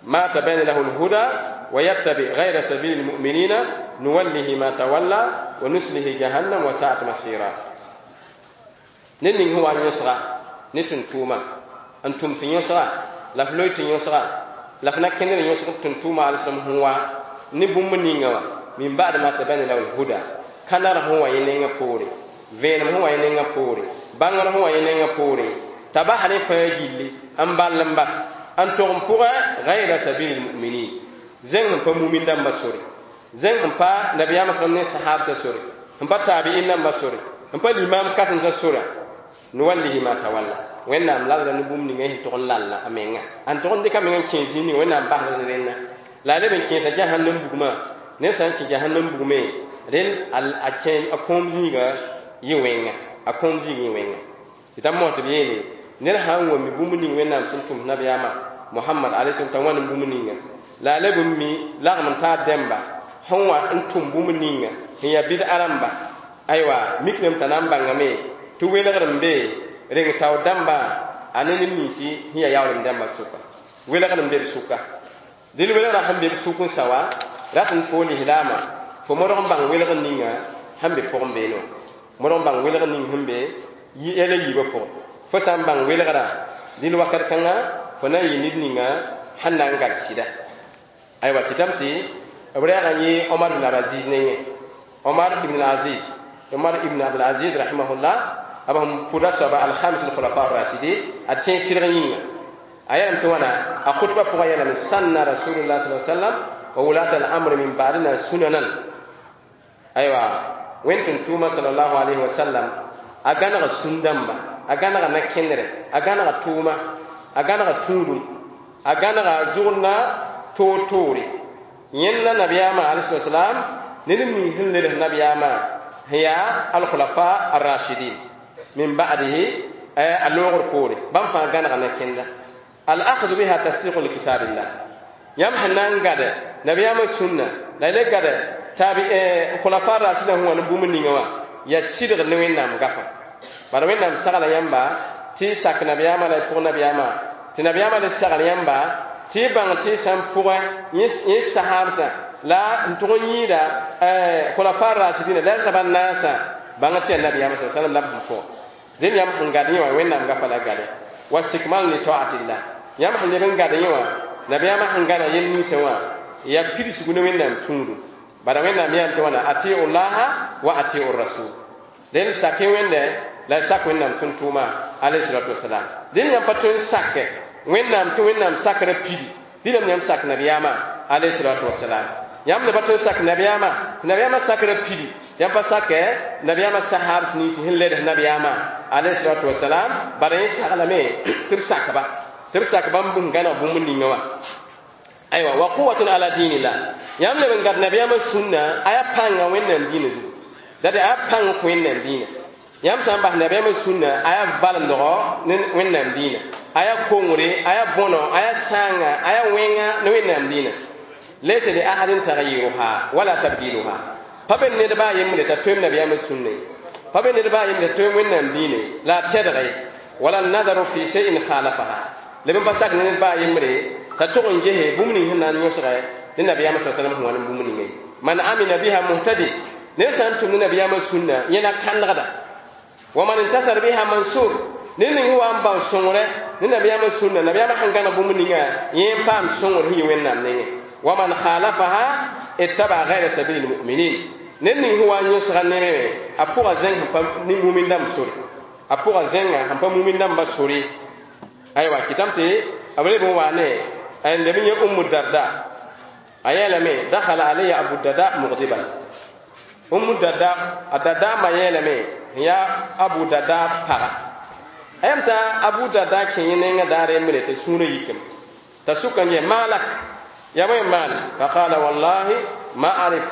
ma tabayyana lahu alhuda wa yattabi ghayra sabili almu'minina nuwallihi ma tawalla wa nuslihi jahannam wa sa'at masira ned ning sẽn wa n yõsga ne tʋm-tʋʋma n tʋm tɩ yõsga la f loe tɩ yõsga la f na kẽndr yõsg tʋm-tʋʋma alislam sẽn wa ne bũmb ninga wã min ba'd ma tabayyana lahu alhuda kãnar sẽn wa yẽ nengã poore vẽenem sẽn wa yẽ nengã poore bãngr sẽn wa yẽ nengã poore t'a bas rẽ fãa gilli n ball n bas n tʋg n pʋgã gayra sabili lmuminin zẽng sẽn pa mumin dãmbã sore zẽng sẽn pa nabiyaamã sãm ne sahabsã sore sẽn pa taabi'in dãmbã sore N pa limaam kãsems sora nuwallihi ma tawalla wẽnnaam lalda ne bũmb ninga sẽn tʋg n lalla a menga a tʋg n dɩka menga n kẽes zĩig ninga wẽnnaam basda ne rẽnna la a leb n kẽesa jahannam bugmã ned sã n kẽ jahannam bugme rẽnd a kẽ a kõom zĩiga yɩ wẽnga a kõom zĩig yɩ wẽnga tɩ t'a mos tɩ b yeele ned sã n wãmmi bũmb ning wẽnnaam sẽn tʋms nabiyaamã Muhammad alayhi salam t'a wãn bũmb ninga la a leb n mi lagm n taar dẽmba sẽn wa n tʋm bũmb ninga sẽn yaa bɩd-a rãmba aywa miklem t'a na n bãngame tɩ welgr n be reng tao dãmba a ne neb ninsi sẽn yaa yaoolem dãmba sʋka welgr n be b sʋka dẽl welgrã sẽn be b sʋk n sa wa rat n fo lislaamã fo modg n bãng welgr ninga sẽn be pʋgẽ beene wã modg n bãng welgr ning sẽn be yɛla yiibã pʋgẽ fo sã n bãng welgrã dĩl wakat kãnga fo na n yɩ ned ninga sẽn na n gad sɩda aywa kɩtame tɩ b rɛɛga yẽ Omar ibn Abdulaziz nengẽ Omar ibn Aziz Omar ibn Abdulaziz rahimahullah b sẽn pʋda soaba alhamis alkhulafa arrashidin a tẽeg sɩdg yĩnga a yɛlem tɩ wãna a khutba pʋgã yɛlame sanna rasulullah sa sallam wa wulat al-amr min ba'dina sunanan aywa wẽnd tɩ tʋʋma sallallahu alayhi wa sallam a gãnega sũn-dãmba a gãnega na-kẽndrɛ a gãnega tʋʋma a gãnega tũudum a gãnega zʋgdna toor-toore yẽnda nabiyaamã alayhi salam ned n ning sẽn leds nabiyaamã sẽn yaa alkhulafa arrashidin min ba'dihi a loogr poore bãmb fãa gãnega na-kẽnda al-akhdu biha tasdiqu li kitabillah yãmb sẽn na n gade nabiyaamã sũnna la y le gade tabi khulafa rashidã sẽn wa ne bũmb ninga wã yaa sɩdg ne wẽnnaam gafa bala wẽnnaam sagla yãmba tɩ y sak nabiyaamã la y pʋg nabiyaamã tɩ nabiyaamã le sagl yãmba tɩ y bãng tɩ y sã n pʋgẽ yẽ sahaabsã la n tʋg n yĩida khulafa rashidina la raba naasã bãng tɩ yaa nabiyaamã sa sallam la b sẽn pʋgẽ dẽnd yãmb sẽn gad yẽ wã wẽnnaam gafa la gade wa stikmal li ta'atillah yãmb sẽn leb n gad yẽ wã nabiyaamã sẽn gada yel ninsã wã yaa pidsgu ne wẽnnaam tũudum bala wẽnnaam yãam tɩ wãna atiu llaha wa atiu rasul dẽnd sak-y wẽnde la y sak wẽnnaam tʋm-tʋʋma alayhi salatu wasalam dẽnd yãmb pa tõe n sake wẽnnaam tɩ wẽnnaam sakrã pidi dĩnam yãmb sak nabiyaamã alayhi salatu wasalam yãmb ne pa tõe n sak nabiyaamã tɩ nabiyaamã sakrã pidi yãmb pa sake nabiyaamã sahaabs nins sẽn leds nabiyaamã alayhi salatu wasalam bala yẽ saglame tɩ b sakba tɩ b sak bãmb bũmb gãneg bũmb ninga wã aywa wa quwatun ala dinillah yãmb leb n gad nabiyaamã sũnna a yaa pãnga wẽnnaam dĩinã zugu date a yaa pãng kõ wẽnnaam dĩinã yãmb sã n bas nabiyaamã sũnna a yaa valemdgo ne wẽnnaam dĩinã a yaa kongre a yaa bõno a yaa sãanga a yaa wẽnga ne wẽnnaam dĩinã laysa li ahadin taghyiruha wala tabdiluha pa be ned baa yembre t'a toem nabiyaamã sũnna ye pa be ned baa yembre t'a toem wẽnnaam dĩinã ye la a tɛdge wala nadaru fi shay'in khalafaha leb n pa sak ne ned baa yembre t'a tʋg n gese bũmb ning sẽn na n yõsgɛ ne nabiyaamã sa sallam sẽn wa ne bũmb ninga ye man amila biha muhtadi ned sã n tʋm ne nabiyaamã sũnna yẽ na kãnegda wa man intasar biha mansur ned ning wa n bao sõngre ne nabiyaamã sũnna nabiyaamã sẽn gãneg bũmb ninga yẽ n paam sõngr sẽn yɩ wẽnnaam nengẽ wa man khalafaha ittaba ghayra sabili lmuminin ned ning sẽn wa n yõsga neme a pʋga zẽng sẽn pa ne mumin dãmb sore a pʋga zẽnga sẽn pa mumin dãmbã sore aywa kɩtame tɩ b leb n wa ne n leb n yẽ Ummu Darda a yeelame dakhala alayya Abu Darda mugdiban Ummu Darda a Darda ma yeelame n yaa Abu Darda paga a yam t'a Abu Darda kẽ yẽ nengã daar yembre t'a sũurã yikame t'a sʋka n yɛ maalak ya bõe n maane faqala wallahi ma arif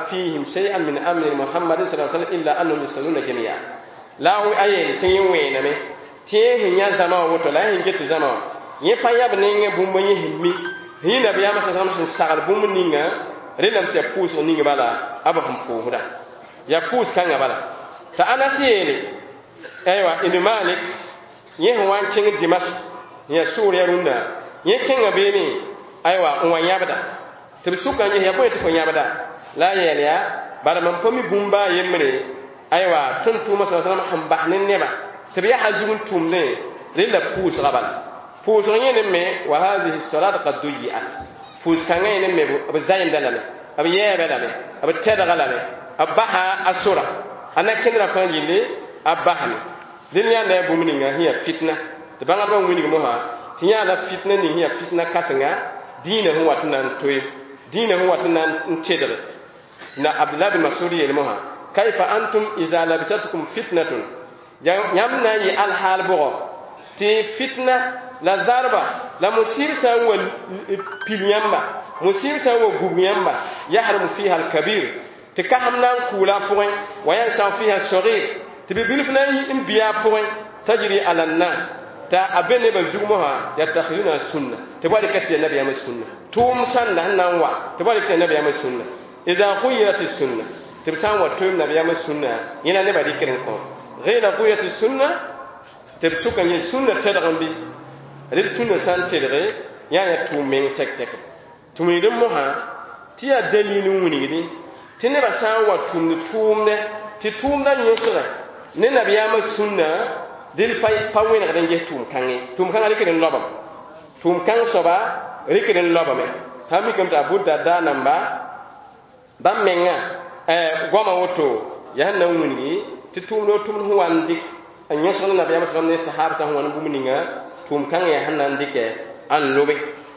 fihim shay'an min amri muhammadin sa sallam illa annahum yusalluna jami'a la a yeel tɩ yẽ wẽename tɩ yẽ sẽn yã zãma wã woto la yẽ sẽn get zãma wã yẽ pa yab nengẽ bũmb yẽ sẽn mi sẽn yɩ nabiyaamã sa sallam sẽn sagl bũmb ninga rẽndame tɩ yaa pʋʋsg ning bala a b sẽn pʋʋsda yaa pʋʋs kãngã bala t'a Anas yeele aywa ibn Malik yẽ sẽn wa n kẽng Dimash n yaa sʋʋr rũndã yẽ kẽnga beene aywa n wa yãbda tɩ b sʋka n ges yaa bõe tɩ fo yãbda la a yeel yaa bala mam pa mi bũmba a yembre aywa tʋm-tʋʋmã sa sallam sẽn bas ne nebã tɩ b yaa zug n tʋmdẽ rẽ la pʋʋsga bala pʋʋsg yẽ ne me wa hadihi salat qad duyiat pʋʋs kãngã yẽ ne me b zayemda lame b yɛɛbã lame b tɛdga lame b basa a sora a na-kẽndrã fãa yelle a basame dẽnd yãanda yaa bũmb ninga sẽn yaa fitna tɩ bãngdbã wilg mosã tɩ yãala fitna ning sẽn yaa fitna kãsenga dĩinã sẽn wat n na n toe dĩinã sẽn wat n na n tedge na Abdullah bin Masud yeel mosã Kayfa antum iza labisatkum fitnatun, yãmb na n yɩ alhaal bʋgɔ tɩ fitna la zarba la musib sã n wa pil yãmba, musib sã n wa gub yãmba, yahrumu fiha alkabir, tɩ kasem na n kʋʋla a pʋgẽ, wa yansau fiha sagir, tɩ bi-bilf na n bɩ a pʋgẽ, tajri ala nnas, t'a a be nebã zug mosã, yattakhiduna sunna, tɩ b wa rɩka tɩ yaa nabiyaamã sunna, tʋʋm sãnda sẽn na n wa tɩ b wa rɩka tɩ yaa nabiyaamã sunna. Ida ghuyirat sunna, tɩ b sã n wa toeem nabiyaamã sunna, yẽ la nebã rɩkd n kõ ghayra ghuyat sunna, tɩ b sʋka yẽ sunna tɛdg n bɩ rɩd sunna sã n tedge yaa yaa tʋʋm meng tɛk-tɛk tɩ wilgd mosã tɩ yaa dalil n wilgdi tɩ nebã sã n wa tʋmd tʋʋmdɛ tɩ tʋʋmdã yõsgã ne nabiyaamã sũnna dɩl pa wẽnegd n ges tʋʋm-kãngẽ, tʋʋm-kãngã rɩkd n laobame, tʋʋm-kãng soaba rɩkd n laobame. Sã n mikame tɩ Abu Darda namba bãmb menga goama woto yaa sẽn na n wilgi tɩ tʋʋmd o tʋmd sẽn wa n dɩk n yõsg ne nabiyaamã sãm ne sahab sã sẽn wa ne bũmb ninga tʋʋm-kãngã yaa sẽn na n dɩkɛ n lobe,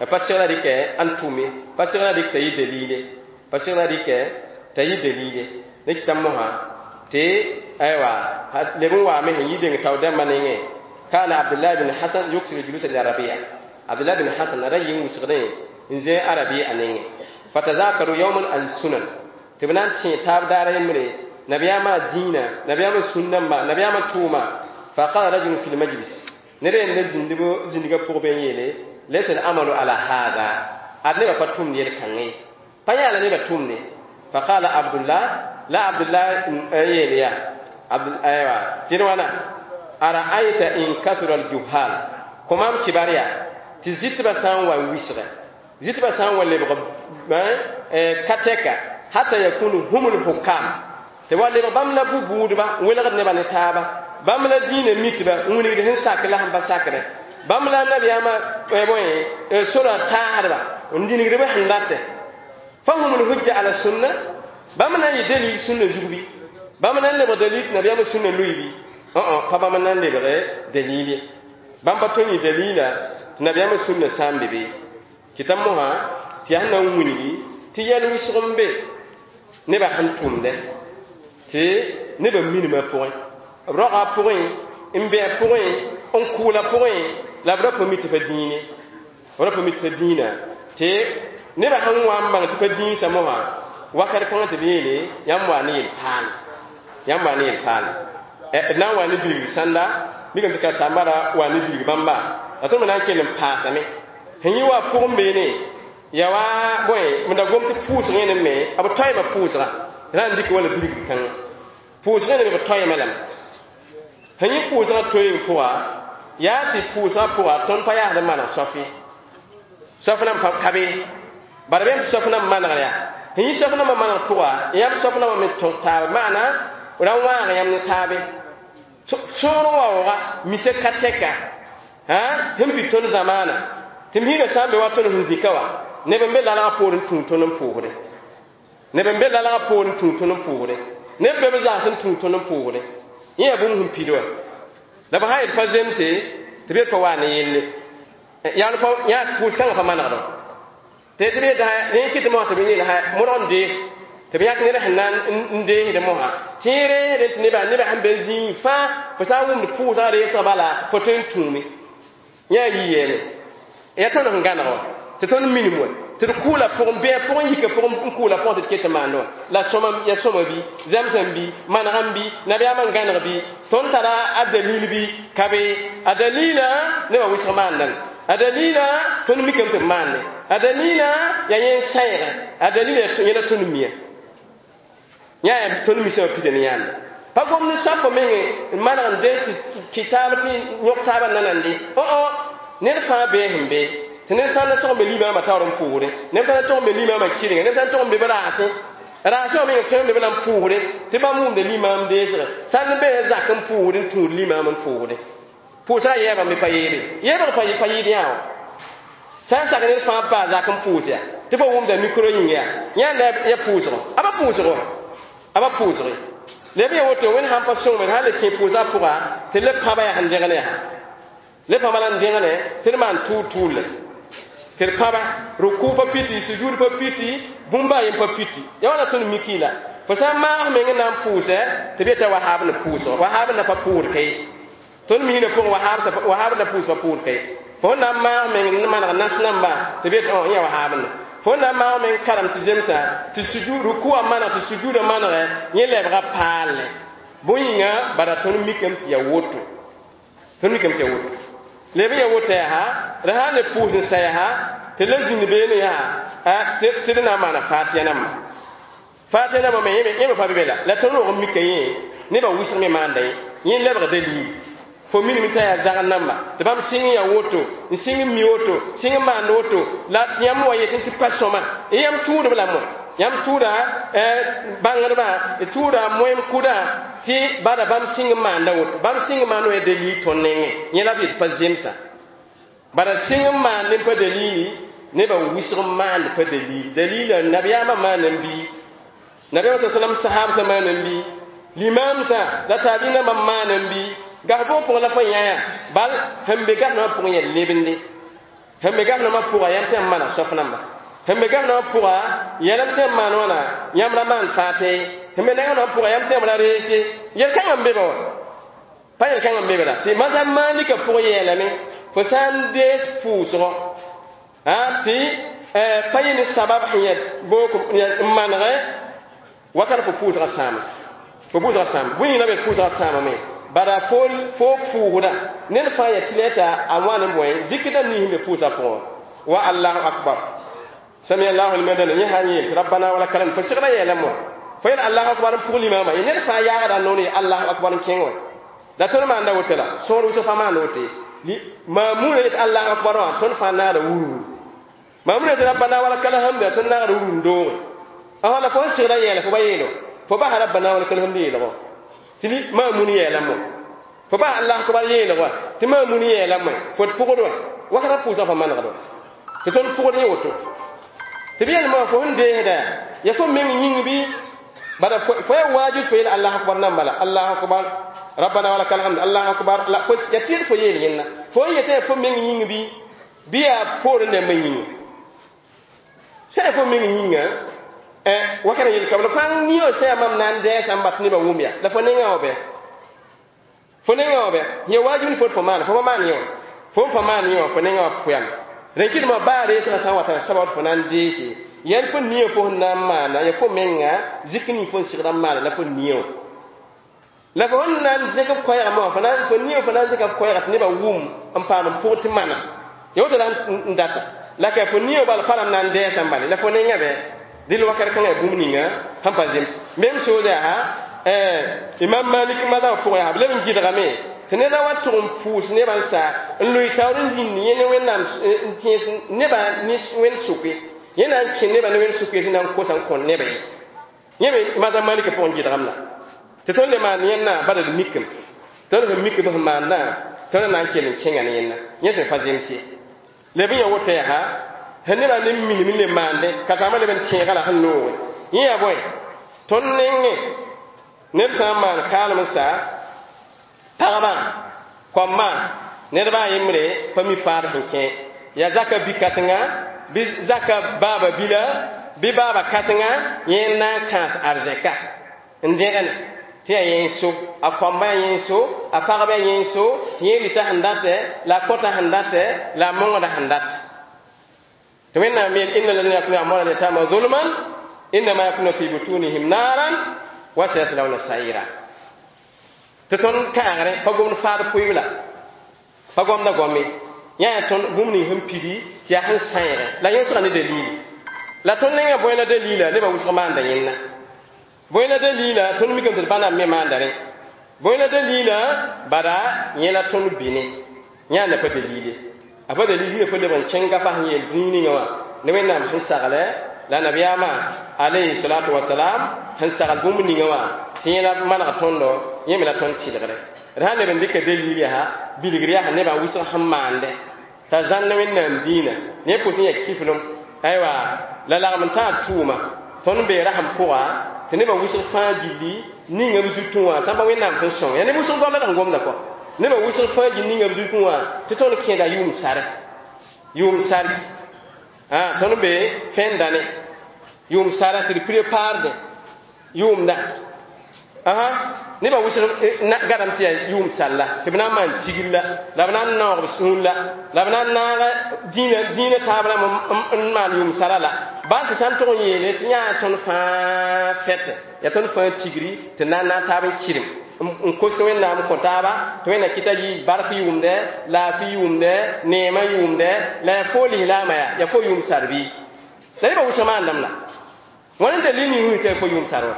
pa segra rɩkɛ n tʋme, pa segra rɩk t'a yɩ dalile, pa segra rɩkɛ t'a yɩ dalile. Ne kɩta mosã tɩ aywa leb n waame sẽn yi deng tao dãmbã nengẽ, kana Abdullah bin Hasan yuksiru julusa li Rabia, Abdullah bin Hasan a ra yɩ n wʋsgdẽ n zẽ a Rabia nengẽ, fatazakaru yawman al sunan, tɩ b na n tẽ taab daar yembre nabiyaamã dĩinã, nabiyaamã sũnnãmba, nabiyaamã tʋʋma. Faqala rajulun fi lmajlis, ned yend zĩndb zĩndgã pʋg bɩ n yeele laysa alamalu ala hada, ad nebã pa tʋmd yel-kãngẽ, pa yaa la nebã tʋmde. Faqala Abdullah, la Abdullah n yeel yaa aywa tɩ d wãna ara'ayta in kasura aljuhal, kõ maam kibar yaa tɩ zɩtbã sã n wa n wisgɛ, zɩtbã sã n wa lebg ka tɛka, hata yakunu hum lhukam, tɩ wa lebg bãmb la bu-buudba n welgd nebã ne taaba, bãmb la dĩinã mitba n wilgd sẽn sak la sẽn pa sakdẽ, bãmb la nabiyaamã bõe sorã taasdba n dĩnigd b sẽn datɛ, fahum lhujja ala sunna, bãmb na n yɩ dalil sũnna zug bɩ, bãmb na n lebg dalil tɩ nabiyaamã sũnna lʋɩ bɩ, pa bãmb na n lebg dalil ye, bãmb pa tõe n yɩ dalila tɩ nabiyaamã sũnna sã n be be. Kɩta mosã tɩ yaa sẽn na n wilgi tɩ yɛl wɩsg n be nebã sẽn tʋmdɛ tɩ nebã minimã pʋgẽ, b raoga pʋgẽ, n bɩ a pʋgẽ, n kʋʋla pʋgẽ, la b ra pa mi tɩ pa dĩine, b ra pa mi tɩ pa dĩinã, tɩ nebã sẽn wa n bãng tɩ pa dĩinsã mosã wakat kãngã tɩ b yeele yãmb waa ne yel-paal, yãmb waa ne yel-paal, d na n wa ne bilg sãnda mikame tɩ ka-sambã ra wa ne bilg bãmba, la tõnd me na n kell n paasame sẽn yɩ wa pʋgẽ beene ya wa bõe m da gom tɩ pʋʋsg yẽne me b toeema pʋʋsga tɩ na n dɩk wala bilg kãngã pʋʋsg yẽne me b toeema lame sẽn yɩ pʋʋsgã toeeng pʋga yaa tɩ pʋʋsgã pʋga tõnd pa yaasd n maneg soaf ye, soaf nan pa ka be bara bẽm tɩ soaf nan manegr yaa sẽn yɩ soaf nambã maneg pʋga yãmb soaf nambã me tõk taab maana ra wãag yãmb ne taabe sõor waooga mise ka tɛka sẽn pid tõnd zamaana tɩ m hiigã sã n be wa tõnd sẽn zĩka wa neb n be lalgã poor n tũu tõnd n pʋʋsdẽ, neb n be lalgã poor n tũu tõnd n pʋʋsdẽ, neb be b zãgs n tũu tõnd n pʋʋsdẽ, yẽ yaa bũmb sẽn pid wa la b sã yel pa zemse tɩ b yel pa waa ne yelle yaa pʋʋs kãngã pa manegdẽ tɩ tɩ b yetɩ rẽ kɩt mosã tɩ b yeel modg n dees tɩ b yãk ned sẽn na n deesd mosã tɩ yẽ reesdẽ tɩ nebã nebã sẽn be zĩig fãa fo sã n wʋmd pʋʋsgã reesg bala fo tõe n tũume yã yi yeeme yaa tõnd sẽn gãneg wa tɩ tõnd minim wa tɩ d kʋʋla pʋgẽ bɩ a pʋgẽ yika pʋgẽ n kʋʋla pʋgẽ tɩ d ket n maand wã la sõma ya sõma bɩ zãmsã bɩ manegã bɩ nabiyaamã n gãneg bɩ tõnd tara a dalil bɩ ka be a dalila nebã wɩsg maandame, a dalila tõnd mikame tɩ b maande, a dalila yaa yẽ n sãeega, a dalila yẽla tõnd mia yã yaa tõnd misã wã pida ne yãanda pa gom ne soapã meng n maneg n dees tɩ kɩ taab tɩ yõk taabã nanande o ned fãa bee sẽn be tɩ ned sã n na tog n be limaamã taoor n pʋʋsdẽ, ned sã n na tog n be limaamã kɩrenga, ned sã n tog n be b raasẽ raasẽ wã meng tõe n be b la n pʋʋsdẽ tɩ bãmb wʋmda limaam deesgã sã n be zak n pʋʋsdẽ n tũud limaam n pʋʋsdẽ pʋʋsrã yɛɛbã me pa yeebe yeebg pa pa yɩɩd yã wã sã n sak ned fãa paa zak n pʋʋs yaa tɩ fo wʋmda mikro yĩng yaa yãanda ya pʋʋsgɔ a pa pʋʋsgɔ a pa pʋʋsge leb ya woto wẽnd sãn pa sõngme sã n le kẽ pʋʋsgã pʋga tɩ le pãba yaa sẽn dẽgn yaa le pãba la n dẽgne tɩ d maan tʋʋl tʋʋle tɩ d pãba rukʋ pa piti sujud pa piti bũmba a yen pa piti ya wãna tõnd miki la Fo sã n maag meng n na n pʋʋsɛ tɩ b yeta wahaab ne pʋʋsgo wahaab na pa pʋʋd ka ye tõnd miisã pʋgẽ wahaab na pʋʋs pa pʋʋd ka ye fo na n maag meng n maneg nas namba tɩ b yet yã wahaab ne fo na n maag meng karem tɩ zemsa tɩ sujud rukuwã maneg tɩ sujuudã manegɛ yẽ lebga paalle bõe yĩnga bara tõnd mikame tɩ yaa woto tõnd mikame tɩ yaa woto leb n yaa woto yaa ra sã n le pʋʋs n sa yaa tɩ le zĩnd beene yaa tɩ d na n maana fatiya namba fatiya namba me yẽ me pa be be la la tõnd rog n mika yẽ nebã wʋsg me maanda ye yẽ lebg dalil fo minime t'a yaa zagr namba tɩ bãmb sɩng n yaa woto n sɩng n mi woto sɩng n maand woto la tɩ yãmb wa yetẽ tɩ pa sõma yãmb tʋʋdb la moe yãmb tʋʋda bãngdbã tʋʋda moem kʋdã tɩ bada bãmb sɩng n maanda woto bãmb sɩng n maand wa dalil tõnd nengẽ yẽ la b yet pa zemsa bada sɩng n maand n pa dalili nebã wʋsg n maand pa dalil dalila nabiyaamã maan n bii nabiyaamã sa sallam sahabsã maan n bii limamsã la taabɩnãmbã maan n bii gas bʋg pʋgẽ la fo yãa bal sẽn be gas nambã pʋgẽ yaa lebende sẽn be gas nambã pʋga yãmb tɩ yãmb maana sof namba sẽn be gas nambã pʋga yɛlm tɩ yãmb maan wãna yãmb ra maan faate sẽn be nengã nambã pʋga yãmb tɩ yãmb ra reese yel-kãngã n be be wa pa yel-kãngã n be be la tɩ mazab malika pʋgẽ yeelame fo sã n dees pʋʋsgɔ tɩ pa yẽ ne sabab sẽn yaa book n manegɛ wakat fo pʋʋsgã sãama fo pʋʋsgã sãama bõe yĩng la b yet pʋʋsgã sãamame bara fo fo pʋʋsda ned fãa yaa tɩ la a wãn n bõe zikdã ning sẽn be pʋʋsã pʋgẽ wa allahu akbar sami allahu liman dana yẽ sã n yeel tɩ rabbana wa lakal hamd fo segda yeelame wã fo yel allahu akbar n pʋg limaamã ye ned fãa yaagda n noor ye allahu akbar n kẽng wã la tõnd maanda woto la sõor wʋsg fãa maanda woto ye maamuuna yet allahu akbar wã tõnd fãa naada wururu maamuuna yet rabbana wa lakal hamd tõnd naagda wururu n dooge la fo sẽn segda yeela fo ba yeelo fo basa rabbana wa lakal hamd yeelgɔ tɩ maamun yeelame fo bas allah akbar yeelg wã tɩ maamun yeelame fo d pʋgd wã wakatã pʋʋsgã fa manegd wã tɩ tõnd pʋgd yẽ woto tɩ b yelma fo sẽn deesda ya fo meng yĩng bɩ bada fo yaa waajib fo yeel allah akbar namba la allahu akbar rabbana wa lakal hamd allahu akbar la fo ya tɩ fo yeel yẽnna fo n yetã ya fo meng yĩng bɩ bɩ yaa poorẽ dãmbã yĩnga sã ya fo meng yĩnga wakana yel kabla fãa niyo sã yaa mam na n dɛɛsã n bat nebã wʋm ya la fo nengã wã bɛ fo nengã wã bɛ yẽ waajib ne fo fo maan fo pa maan yẽ wã fo n pa maan yẽ wã fo nengã wã pʋyame rẽn kɩdmã baa reesgã sã n wata sabab fo na n deese yɛl fo niyo fo sẽn na n maana ya fo menga zik ning fo n segda n maana la fo niyo la fo sẽn na n zẽk b koɛɛgã wã fo na fo niyo fo na n zẽka b koɛɛga tɩ nebã wʋm n paam n pʋg tɩ mana ya woto la n data la ka fo niyo bala pa ram na n dɛɛsã n bale la fo nengã bɛ dɩl wakat kãngã yaa bũmb ninga sẽn pa zems mem sood yaa imam malik mazab pʋgẽ yaa b leb n gɩdgame tɩ neda wa tʋg n pʋʋs nebã n sa n loe taoor n zĩnd yẽ ne wẽnnaam n tẽes nebã ne wẽnd sʋke yẽ na n kẽ nebã ne wẽnd sʋke tɩ na n kosa n kõ nebã ye yẽ me mazab malika pʋgẽ gɩdgam la tɩ tõnd le maan yẽnna bala d mikem tõnd sẽn mik b sẽn maandã tõnd na n kell n kẽnga ne yẽnna yẽ sẽn pa zems ye leb n ya woto yaa sẽn nebã ne minim n le maande ka taamã leb n tẽegã la sẽn looge yẽ yaa bõe tõnd nengẽ ned sã n maan kaalem n sa pagba kõmma nedbã a yembre pa mi faad sẽn kẽ yaa zaka bi-kãsenga bɩ zaka baaba bila bɩ baaba kãsenga yẽ n na n kãas arzɛka n dẽgene tɩ yaa yẽ n so a kõmba yaa yẽ n so a pagba yaa yẽ n so tɩ yẽ rɩta sẽn datɛ la a kõta sẽn datɛ la a mongda sẽn dat tɩ wẽnnaam yeel inna alladhina yakuluna amwala alyatama zulman innama yakuluna fi butunihim naran wa sayaslawna sa'ira tɩ tõnd kãagre pa gomd faad pʋɩbla pa gomda goame yã yaa tõnd bũmb ning sẽn pidi tɩ yaa sẽn sãeege la yẽsga ne dalili la tõnd nengã bõe la dalila nebã wʋsg maanda yẽnna bõe la dalila tõnd mikame tɩ d bãnam me maanda rẽ bõe la dalila bada yẽ la tõnd bɩne yãanda pa dalile a pa dalil yĩnga fo leb n kẽng gafa sẽn yeel zĩig ninga wã ne wẽnnaam sẽn saglɛ la nabiyaamã alayhi salatu wasalam sẽn sagl bũmb ninga wã tɩ yẽ la maneg tõndo yẽ me la tõnd tɩlgre d sã n leb n dɩka dalil yaa bilgr yaa nebã wʋsg sẽn maande t'a zãnna wẽnnaam dĩinã ne pʋs n yaa kiflem aywa la lagem n tãag tʋʋma tõnd bee rasem pʋga tɩ nebã wʋsg fãa gilli ninga b zutẽ wã sã n pa wẽnnaam sẽn sõng yaa neb wʋsg goam la d sẽn gomda kɔ nebã wʋsg fãa gill ninga b zutẽ wã tɩ tõnd kẽeda yʋʋm sare yʋʋm sark tõnd be fẽndane yʋʋm sara tɩ d préparde yʋʋmda aha nebã wʋsg gadam tɩ yaa yʋʋm salla tɩ b na n maan tigr la la b na n naoog b sũur la la b na n naag dĩinã taab rãmb n maan yʋʋm sara la bal tɩ sã n tʋg n yeele tɩ yãa tõnd fãa fɛtɛ yaa tõnd fãa tigri tɩ na n naag taab n kɩrem n kos Wẽnnaam kõ taaba tɩ Wẽnnaam kɩta yɩ bark yʋʋmdɛ laafɩ yʋʋmdɛ neemã yʋʋmdɛ la yaa fo lislaamã yaa yaa fo yʋʋm sar bɩ la nebã wʋsg maandame la wãn n dalil ning wĩig tɩ yaa fo yʋʋm sar wã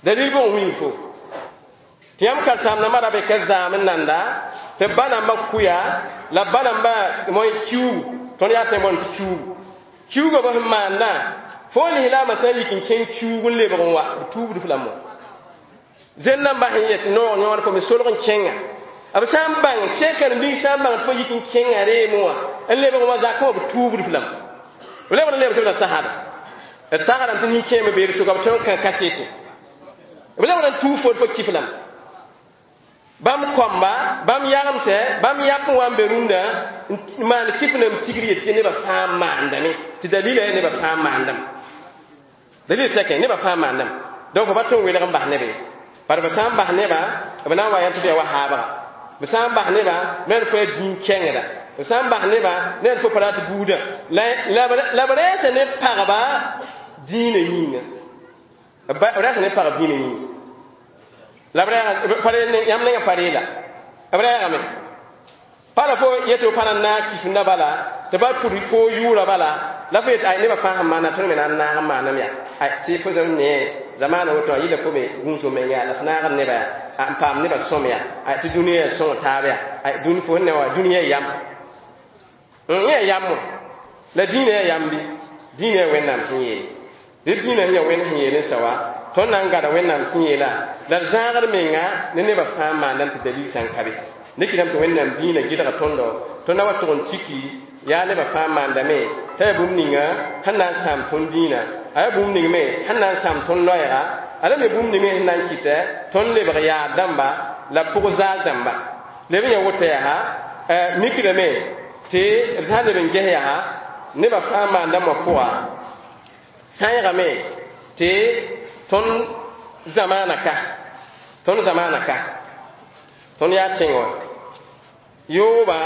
dalil bõn wĩig fo tɩ yãmb karen-saam-dãmbã ra be ka zaam n nanda tɩ ba nambã kʋya la ba nambã moẽ kiuugu tõnd yaa tẽ boond tɩ kiuugu kiuugã b sẽn maandã fo lislaamã sã n yik n kẽng kiuug n lebg n wa b tuubd f lame wã zen nambã sẽn yet noog yõod fo me solg n kẽnga b sã n bãng sẽn karen-biig sã n bãng tɩ fo yik n kẽnga reem wã n lebg n wa zakẽ wã b tuubd f lame b lebg n lebg tɩ b la sasda d tagrame tɩ nin-kẽeme beer sʋka b tõe n kã kasete b lebg n tuub fo fo kif lame bãmb kõmba bãmb yagemsɛ bãmb yap n wa n be rũndã n maan kɩf nam tigr yet tɩ nebã fãa maandame tɩ dalila yaa nebã fãa maandame dalila tɛkẽ nebã fãa maandame donc fo pa tõe n welg n bas neb ye bara b sã n bas nebã b na n wa yã tɩ b yaa wa haabga b sã n bas nebã ned fo yaa dĩn-kẽngda b sã n bas nebã ned fo pa rat buudã la b rɛɛsa ne pagba dĩinã yĩnga b rɛɛsa ne pagb dĩinã yĩnga la b rɛɛga yãmb nengã pa reela b rɛɛgame pa la fo yetɩ f pa na n naag kifnda bala tɩ ba pʋd fo yʋʋra bala la fo yet ay nebã fãa sẽn maana tõnd me na n naag n maanam yaa ay tɩ fo zãm ne zamaana woto a yɩla fo me gũus fo menga yaa la f naagd nebã yaa n paam nebã sõm yaa ay tɩ dũniyã yaa sõng taab yaa ay dũni fo sẽn ne wã dũniyã yam yẽ yaa yam la dĩinã yaa yam bɩ dĩinã yaa Wẽnnaam sẽn yeele dɩ dĩinã sẽn yaa Wẽnd sẽn yeel n sa wa tõnd na n gada Wẽnnaam sẽn yeela la d zãagd menga ne nebã fãa maandame tɩ dalil sã n ka be ne kɩtame tɩ Wẽnnaam dĩinã gɩdga tõndo tõnd na wa tʋg n tiki yaa nebã fãa maandame t'a yaa bũmb ninga sẽn na n sãam tõnd dĩinã a yaa bũmb ning me sẽn na n sãam tõnd loɛɛga a la me bũmb ning me sẽn na n kɩtɛ tõnd lebg yaad dãmba la pʋg zaal dãmba leb n yaa woto yaa mikdame tɩ d sã n leb n ges yaa nebã fãa maandame wã pʋga sãeegame tɩ tõnd zamaana ka tõnd zamaana ka tõnd yaa tẽng wã yooba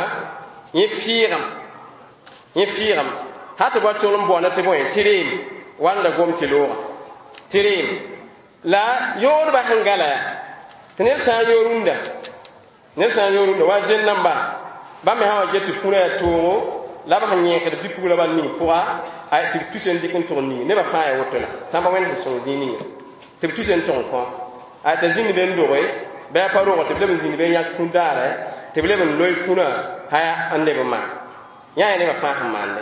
yẽ fɩɩgem yẽ fɩɩgem ha tɩ ba tʋl n boanda tɩ bõe tɩ reem wanda gom tɩ looga tɩ reem la yoodbã sẽn gala yaa tɩ ned sã n yo rũndã ned sã n yo rũndã wa zẽn namba bãmb me sã wa get tɩ fũrã yaa toogo la b sẽn yẽkd bɩ-pugla bal ning pʋga tɩ b tus n dɩk n tʋg n ning nebã fãa yaa woto la sã n pa Wẽnd sẽn sõng zĩig ninga tɩ b tus n tʋg n kõ t'a zĩnd be n doge bɩ a pa rogo tɩ b leb n zĩnd be n yãk fũ-daare tɩ b leb n loe fũrã haya n leb n maan yã yaa nebã fãa sẽn maande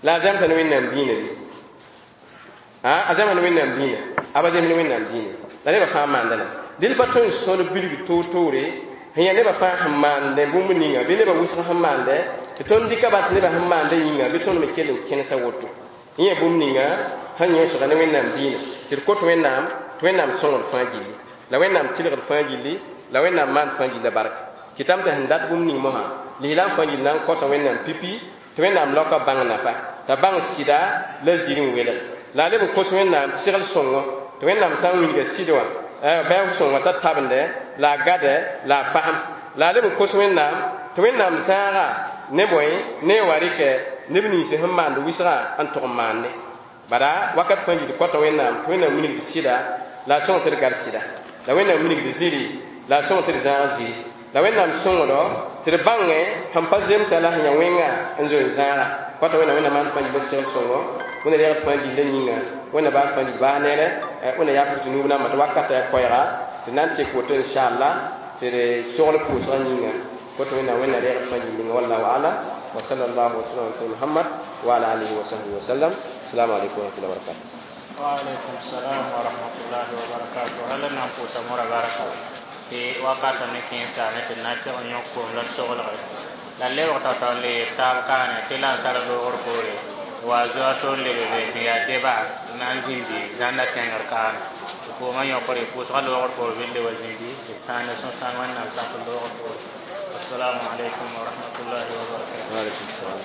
la a zãmsa ne Wẽnnaam dĩinã bɩ a zãmsa ne Wẽnnaam dĩinã a ba zems ne Wẽnnaam dĩinã la nebã fãa maanda la dɩl pa tõe n sõd bilg toor-toore sẽn yaa nebã fãa sẽn maande bũmb ninga bɩ nebã wʋsg sẽn maande tɩ tõnd dɩka bal tɩ nebã sẽn maanda yĩnga bɩ tõnd me kell n kẽnesa woto yẽ yaa bũmb ninga sẽn yõsga ne Wẽnnaam dĩinã tɩ d kot Wẽnnaam tɩ Wẽnnaam sõngd fãa gilli la Wẽnnaam tɩlgd fãa gilli la Wẽnnaam maan fãa gilla barka kɩtame tɩ sẽn dat bũmb ning mosã lislaam fãa gill na n kosa Wẽnnaam pipi tɩ Wẽnnaam laoka bãng nafa t'a bãng sɩda la zir n welg la a leb n kos Wẽnnaam segl sõngo tɩ Wẽnnaam sã n wilga sɩd wã bɩ sõngo t'a tabende la a gade la a fasem la a leb n kos Wẽnnaam tɩ Wẽnnaam zãaga ne bõe ne wa rɩkɛ neb nins sẽn maand wɩsgã n tʋg n maande bala wakat fãa gil kota Wẽnnaam tɩ Wẽnnaam wilgd sɩda la a sõng tɩ d gad sɩda la Wẽnnaam wilgd zĩri la a sõng tɩ d zãag zĩri la Wẽnnaam sõngdo tɩ d bãngẽ sẽn pa zemsa la sẽn yaa wẽnga n zoe n zãaga kota Wẽnnaam Wẽnnaam maan fãa gil segl sõngo Wẽnna reegd fãa gilla yĩnga Wẽnna baas fãa gil baa neere Wẽnna yaaf tɩ nuub namba tɩ wakata yaa koɛɛga tɩ na n tek woto inchallah tɩ d sogl pʋʋsgã yĩnga koto Wẽnnaam Wẽnna reegd fãa gil ninga wallahu alam wa sallallahu wa sallam ala Muhammad wa ala alihi wa sahbihi wa sallam. Assalamu alaikum wa rahmatullahi wa barakatuh. Wa alaikum salam wa rahmatullahi wa barakatuh. Alla na n pʋʋsa mora barka tɩ wakata me kẽesa ne tɩ na tɩg n yõk koom la d soglge la lebg tao-tao n le yel taab kaane tɩ la n sar loogr poore wa zoa to n lebe be sẽn yaa deba na n zĩndi zãnda kẽngr kaane tɩ koomã yõkre pʋʋsgã loogr poor bɩ le wa zĩndi tɩ sãane sõsãng Wẽnnaam sak loogr poore. Assalamu alaikum wa rahmatullahi wa barakatuh. Wa alaikum salam.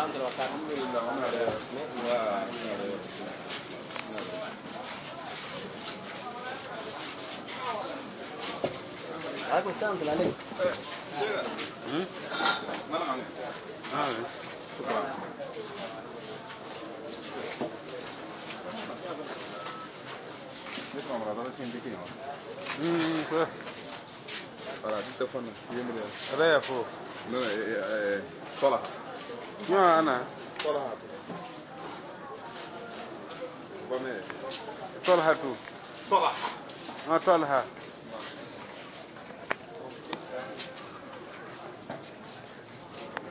Salam wa barakatuh. Alaikum salam wa rahmatullah. Talha.